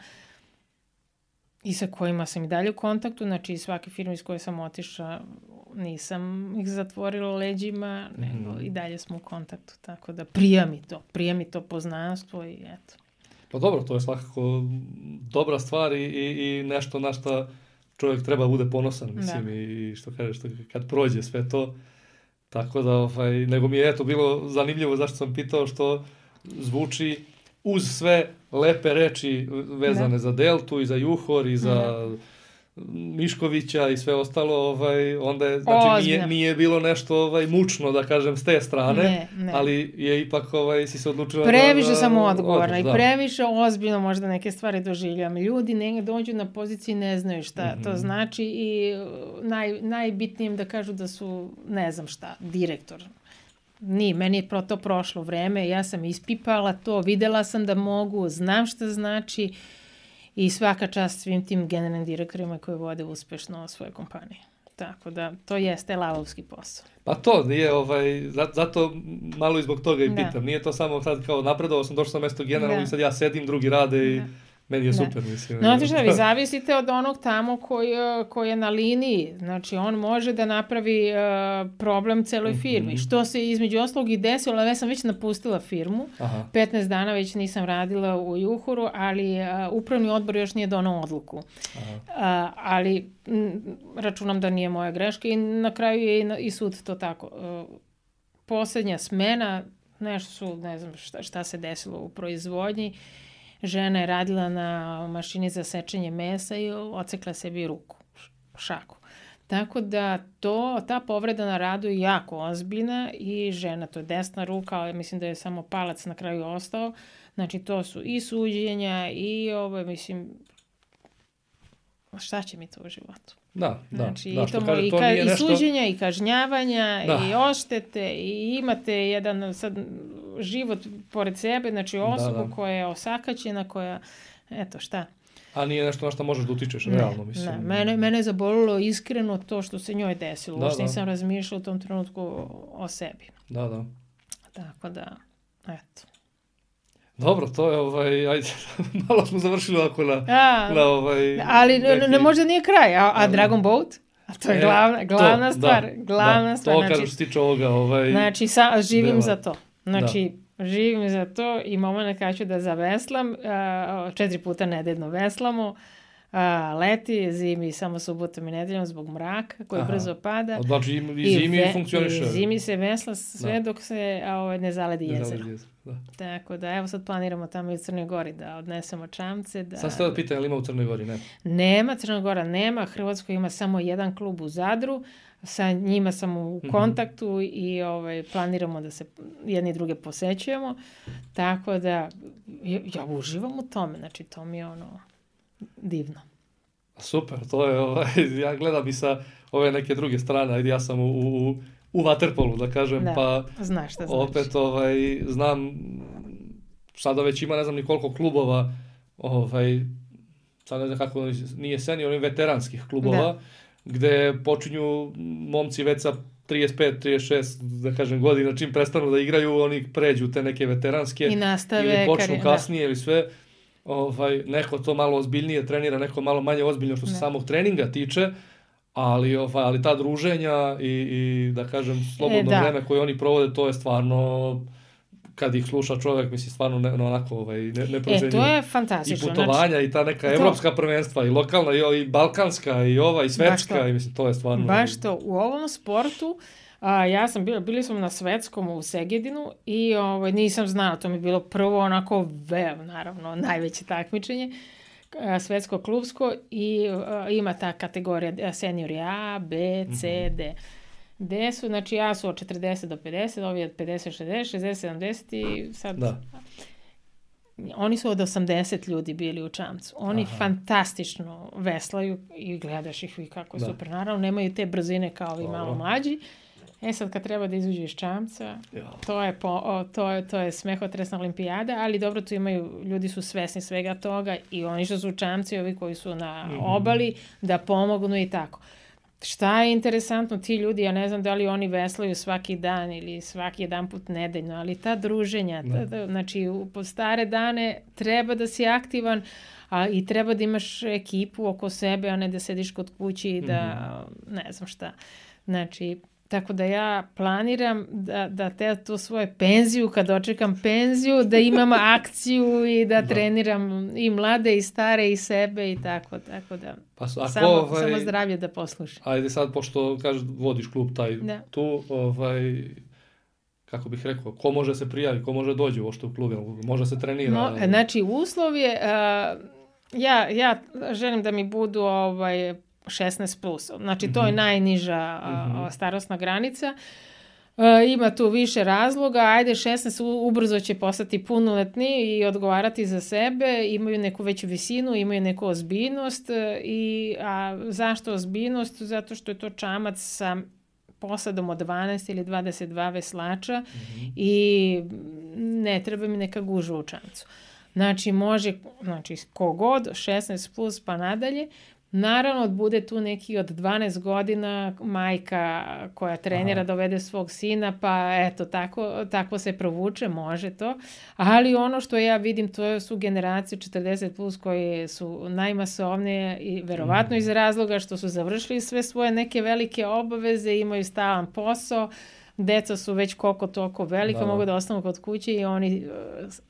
i sa kojima sam i dalje u kontaktu, znači svake firme iz koje sam otišla nisam ih zatvorila leđima, nego mm. i dalje smo u kontaktu, tako da prija mi to, prija mi to poznanstvo i eto. Pa dobro, to je svakako dobra stvar i, i, i nešto na što čovjek treba bude ponosan, mislim, da. I što kažeš, što kad prođe sve to, tako da, ovaj, nego mi je eto bilo zanimljivo zašto sam pitao, što zvuči uz sve lepe reči vezane da. Za Deltu i za Juhor i za da. Miškovića i sve ostalo, ovaj, onda je, znači nije, nije bilo nešto ovaj, mučno, da kažem, s te strane, ne, ne. Ali je ipak ovaj, si se odlučila previše da... sam odgovorna i previše ozbiljno možda neke stvari doživljam. Ljudi ne dođu na poziciji, ne znaju šta mm-hmm. to znači i naj, najbitnijim da kažu da su, ne znam šta, direktor. Nije, meni je pro to prošlo vreme, ja sam ispipala to, videla sam da mogu, znam šta znači. I svaka čast svim tim generalnim direktorima koji vode uspešno svoje kompanije. Tako da, to jeste lavovski posao. Pa to nije, ovaj, zato malo i zbog toga i pitam. Da. Nije to samo sad kao napredovao sam, došao sam mesto generalno da. I sad ja sedim, drugi rade i da. Meni je da. Super, mislim. Znate šta, vi zavisite od onog tamo koji, koji je na liniji. Znači, on može da napravi uh, problem celoj firmi. Mm-hmm. Što se između ostalog i desilo, ali ja sam već napustila firmu. Aha. petnaest dana već nisam radila u Juhoru, ali uh, upravni odbor još nije donao odluku. Uh, ali m, računam da nije moja greška i na kraju je i, na, i sud to tako. Uh, posljednja smena, nešto su, ne znam šta, šta se desilo u proizvodnji, žena je radila na mašini za sečenje mesa i ocekla sebi ruku, šaku. Tako da to, ta povreda na radu je jako ozbiljna i žena, to je desna ruka, ali mislim da je samo palac na kraju ostao. Znači to su i suđenja i ovo, mislim, šta će mi to u životu? Da, da. Znači, da, i, to kaže, i, to ka, nije i nešto... suđenja, i kažnjavanja, da. i oštete, i imate jedan sad život pored sebe, znači osobu da, da. koja je osakaćena, koja, eto šta. A nije nešto na što možeš da utičeš, ne, realno, mislim. Ne, mene, mene je zabolilo iskreno to što se njoj desilo. Da, Uopšte da. nisam razmišljala u tom trenutku o sebi. Da, da. Tako da, eto. Dobro, to je, ovaj, ajde, malo smo završili ovako na, A, na ovaj... ali neki... ne, možda nije kraj, a, a Dragon Boat? A to je e, glavna, glavna to, stvar, da, glavna da, stvar. To znači, kažem što se tiče ovoga, ovaj... Znači, sa, živim dela. za to. Znači, da. živim za to i moment kad ću da zaveslam, a, četiri puta nedeljno veslamo, a, leti, zimi samo subotom i nedeljom zbog mraka koji Aha. brzo pada. Znači i, i zimi ve, funkcioniše. I zimi se vesla sve da. dok se a, ovaj, ne zaledi ne jezero. Zaledi jezero da. Tako da, evo sad planiramo tamo i u Crnoj Gori da odnesemo čamce. Da... Sad ste da pitan, ali ima u Crnoj Gori, ne? Nema, Crna Gora nema, Hrvatskoj ima samo jedan klub u Zadru, sa njima sam u kontaktu mm-hmm. i ovaj, planiramo da se jedni i druge posećujemo, tako da ja uživam u tome, znači to mi je ono divno. Super, to je, ovaj, ja gledam i sa ove neke druge strane, ajde ja sam u, u, u waterpolu, da kažem, da, pa znaš šta opet znači. ovaj, znam, sada već ima ne znam ni koliko klubova, ovaj, sad ne znam kako, nije senior, oni veteranskih klubova, da. Gde počinju momci već sa trideset pet, trideset šest, da kažem, godina, čim prestanu da igraju, oni pređu te neke veteranske i nastave ili počnu kari... kasnije da. Ili sve. Ovaj, neko to malo ozbiljnije trenira, neko malo manje ozbiljno što se ne. Samog treninga tiče, ali, ovaj, ali ta druženja i, i da kažem, slobodno e, da. vreme koje oni provode, to je stvarno, kad ih sluša čovjek, misli, stvarno ne, no, onako ovaj, ne, neprocenjivo. E, to je fantastično. I putovanja, znači, i ta neka to... evropska prvenstva, i lokalna, i, i balkanska, i ova, i svetska, i mislim, to je stvarno... Baš to, u ovom sportu, a, ja sam bila, bili smo na svetskom u Segedinu i ovaj, nisam znala, to mi je bilo prvo onako vev, naravno, najveće takmičenje, a, svetsko klubsko i a, ima ta kategorija seniori A, B, C, mm-hmm. D. Gde su, znači ja su od četrdeset do pedeset, ovi od pedeset, šezdeset, šezdeset, sedamdeset i sad... Da. Oni su od osamdeset ljudi bili u čamcu. Oni Aha. fantastično veslaju i gledaš ih vi kako da. Super. Naravno, nemaju te brzine kao ovi malo mlađi. E sad kad treba da izuđu iz čamca, ja. to, je po, o, to, je, to je smehotresna olimpijada, ali dobro, tu imaju, ljudi su svesni svega toga i oni što su u čamci, ovi koji su na mm-hmm. obali, da pomognu i tako. Šta je interesantno, ti ljudi, ja ne znam da li oni veslaju svaki dan ili svaki jedan put nedeljno, ali ta druženja, ta, ta, znači u stare dane treba da si aktivan, a i treba da imaš ekipu oko sebe, a ne da sediš kod kući i da, mm-hmm. ne znam šta. Znači, tako da ja planiram da, da te tu svoje penziju, kad očekam penziju, da imam akciju i da, da treniram i mlade i stare i sebe i tako, tako da pa, ako, samo, ovaj, samo zdravlje da poslušam. Ajde sad, pošto kažeš vodiš klub taj da. Tu, ovaj, kako bih rekao, ko može se prijaviti, ko može dođe uopšte u klub, može se trenira? No, znači, uslov je, uh, ja, ja želim da mi budu ovaj, šesnaest plus. Znači, mm-hmm. to je najniža mm-hmm. starosna granica. E, ima tu više razloga. Ajde, šesnaest ubrzo će postati punoletni i odgovarati za sebe. Imaju neku veću visinu, imaju neku ozbiljnost. I, a zašto ozbiljnost? Zato što je to čamac sa posadom od dvanaest ili dvadeset dva veslača mm-hmm. i ne treba mi neka gužva u čamcu. Znači, može, znači, kogod, šesnaest plus pa nadalje. Naravno, bude tu neki od dvanaest godina majka koja trenira Aha. dovede svog sina, pa eto, tako, tako se provuče, može to. Ali ono što ja vidim, to su generacije četrdeset plus koje su najmasovnije i verovatno mm. iz razloga što su završili sve svoje neke velike obaveze, imaju stalan posao, deca su već koliko toliko velika, da. Mogu da ostanu kod kuće i oni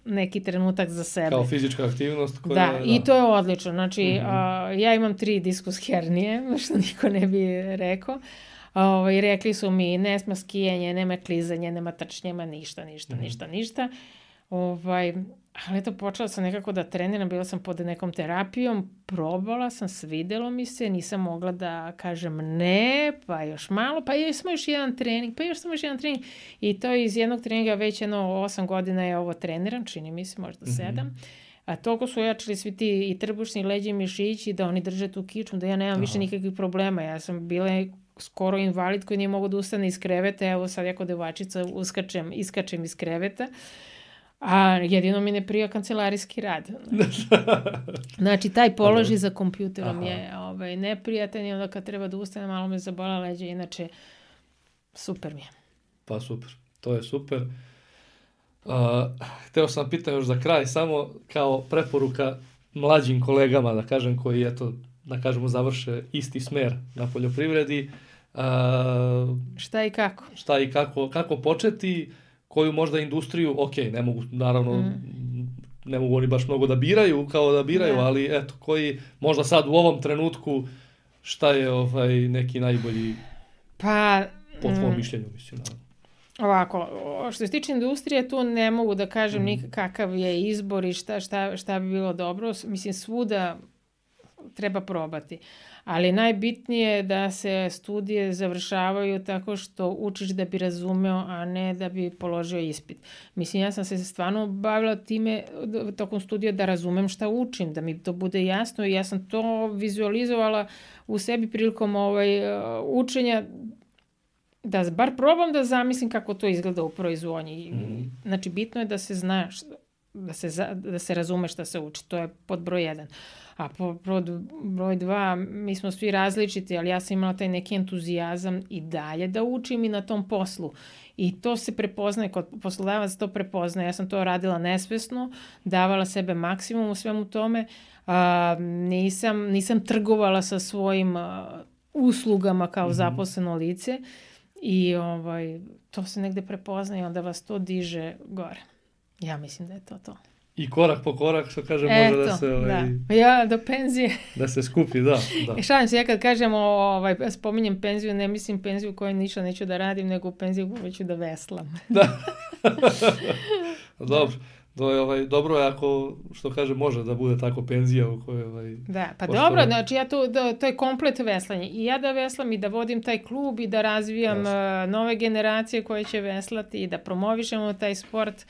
neki trenutak za sebe. Kao fizička aktivnost. Koja, da, da, i to je odlično. Znači, mm-hmm. a, ja imam tri diskus hernije, što niko ne bi rekao. A, i rekli su mi, ne sme skijanje, nema klizanje, nema trčnje, nema ništa, ništa, mm-hmm. ništa, ništa. Ovaj, ali eto, počela sam nekako da treniram, bila sam pod nekom terapijom, probala sam, svidelo mi se, nisam mogla da kažem ne, pa još malo, pa još smo još jedan trening, pa još samo još jedan trening. I to iz jednog treninga već jedno osam godina je ovo treniram, čini mi se, možda sedam. Mm-hmm. A toliko su ojačali svi ti i trbušni, i leđi, i mišići, da oni drže tu kičmu, da ja nemam Aha. više nikakvih problema. Ja sam bila skoro invalid koji nije mogu da ustane iz kreveta, evo sad jako devačica uskačem, iskačem iz kreveta. A jedino mi ne prija kancelarijski rad. Znači, taj položaj za kompjuterom Aha. je ovaj, neprijatan i onda kad treba da ustane, malo me zabola leđa, inače super mi je. Pa super, to je super. Uh, hteo sam pitan još za kraj, samo kao preporuka mlađim kolegama, da kažem, koji eto, da kažemo, završe isti smer na poljoprivredi. Uh, šta i kako? Šta i kako, kako početi, koju možda industriju, ok, ne mogu, naravno, mm. ne mogu oni baš mnogo da biraju, kao da biraju, yeah. ali eto, koji možda sad u ovom trenutku, šta je ovaj neki najbolji, pa, po tvojom mm. mišljenju, mislim, naravno. Ovako, što se tiče industrije, tu ne mogu da kažem mm. nikakav je izbor i šta, šta, šta bi bilo dobro. Mislim, svuda treba probati. Ali najbitnije je da se studije završavaju tako što učiš da bi razumeo, a ne da bi položio ispit. Mislim, ja sam se stvarno bavila time tokom studija da razumem šta učim, da mi to bude jasno i ja sam to vizualizovala u sebi prilikom ovaj, učenja, da bar probam da zamislim kako to izgleda u proizvodnji. Mm-hmm. Znači, bitno je da se zna, da se, za, da se razume šta se uči. To je pod broj jedan. A pod broj dva, mi smo svi različiti, ali ja sam imala taj neki entuzijazam i dalje da učim i na tom poslu. I to se prepoznaje, kod poslodavaca to prepoznaje. Ja sam to radila nesvesno, davala sebe maksimum u svemu tome. A, nisam, nisam trgovala sa svojim a, uslugama kao mm-hmm. zaposleno lice. I ovaj, to se negde prepoznaje i onda vas to diže gore. Ja mislim da je to to. I korak po korak, što kažem, Eto, može da se... Ovaj, da. Ja, do penzije. Da se skupi, da. da. I šalim se, ja kad kažem, ovaj, spominjem penziju, ne mislim penziju u kojoj ništa neću da radim, nego penziju u kojoj ću da veslam. Da. Dobro. To je, ovaj, dobro je ako, što kaže, može da bude tako penzija u kojoj... Ovaj, da, pa pošto... dobro, znači ja to, da, to je komplet veslanje. I ja da veslam i da vodim taj klub i da razvijam uh, nove generacije koje će veslati i da promovišemo taj sport.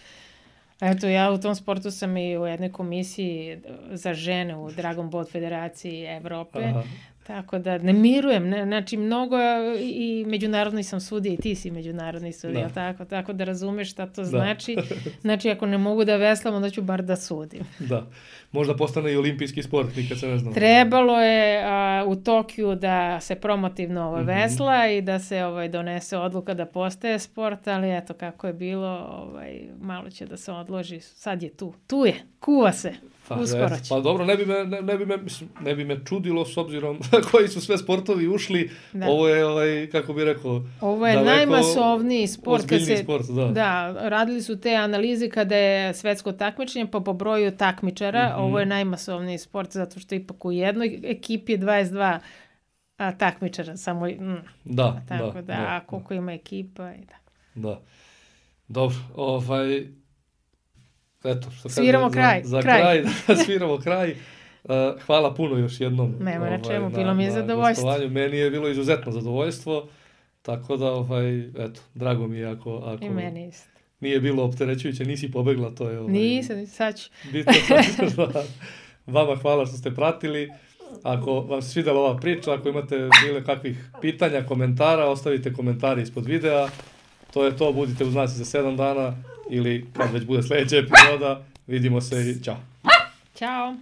Eto, ja u tom sportu sam i u jednoj komisiji za žene u Dragon Boat Federaciji Evrope. Aha. Tako da ne mirujem, ne, znači mnogo i međunarodni sam sudija i ti si međunarodni sudija, da. Tako, tako da razumeš šta to da. Znači. Znači ako ne mogu da veslam, onda ću bar da sudim. Da, možda postane i olimpijski sport, nikad se ne znam. Trebalo je a, u Tokiju da se promotivno ovaj, mm-hmm. vesla i da se ovaj, donese odluka da postaje sport, ali eto kako je bilo, ovaj, malo će da se odloži, sad je tu, tu je, kuva se. Pa, uskoro će. Pa dobro, ne bi me, ne, ne bi me, mislim, ne bi me čudilo s obzirom koji su sve sportovi ušli. Da. Ovo je, ovaj, kako bi rekao, ovo je najmasovniji sport. Ozbiljni se, sport, da. Da, radili su te analize kada je svetsko takmičenje, pa po broju takmičara, mm-hmm. ovo je najmasovniji sport, zato što ipak u jednoj ekipi je dvadeset dva a, takmičara, samo, mm, da, tako da, da, da, a koliko ima ekipa i da. Da, dobro, ovaj... Eto, što sviramo kažem, kraj. Za, za kraj. kraj, da sviramo kraj. Uh, hvala puno još jednom. Nema na čemu, ovaj, bilo mi je zadovoljstvo. Gostovanju. Meni je bilo izuzetno zadovoljstvo, tako da, ovaj, eto, drago mi je ako, ako I meni isto. Nije bilo opterećujuće, nisi pobegla, to je... Ovaj, nisam, sad ću. Bitno, vama hvala što ste pratili. Ako vam se svidjela ova priča, ako imate bile kakvih pitanja, komentara, ostavite komentari ispod videa. To je to, budite uz nas za sedam dana ili kad već bude sljedeća epizoda. Vidimo se i čao. Ćao.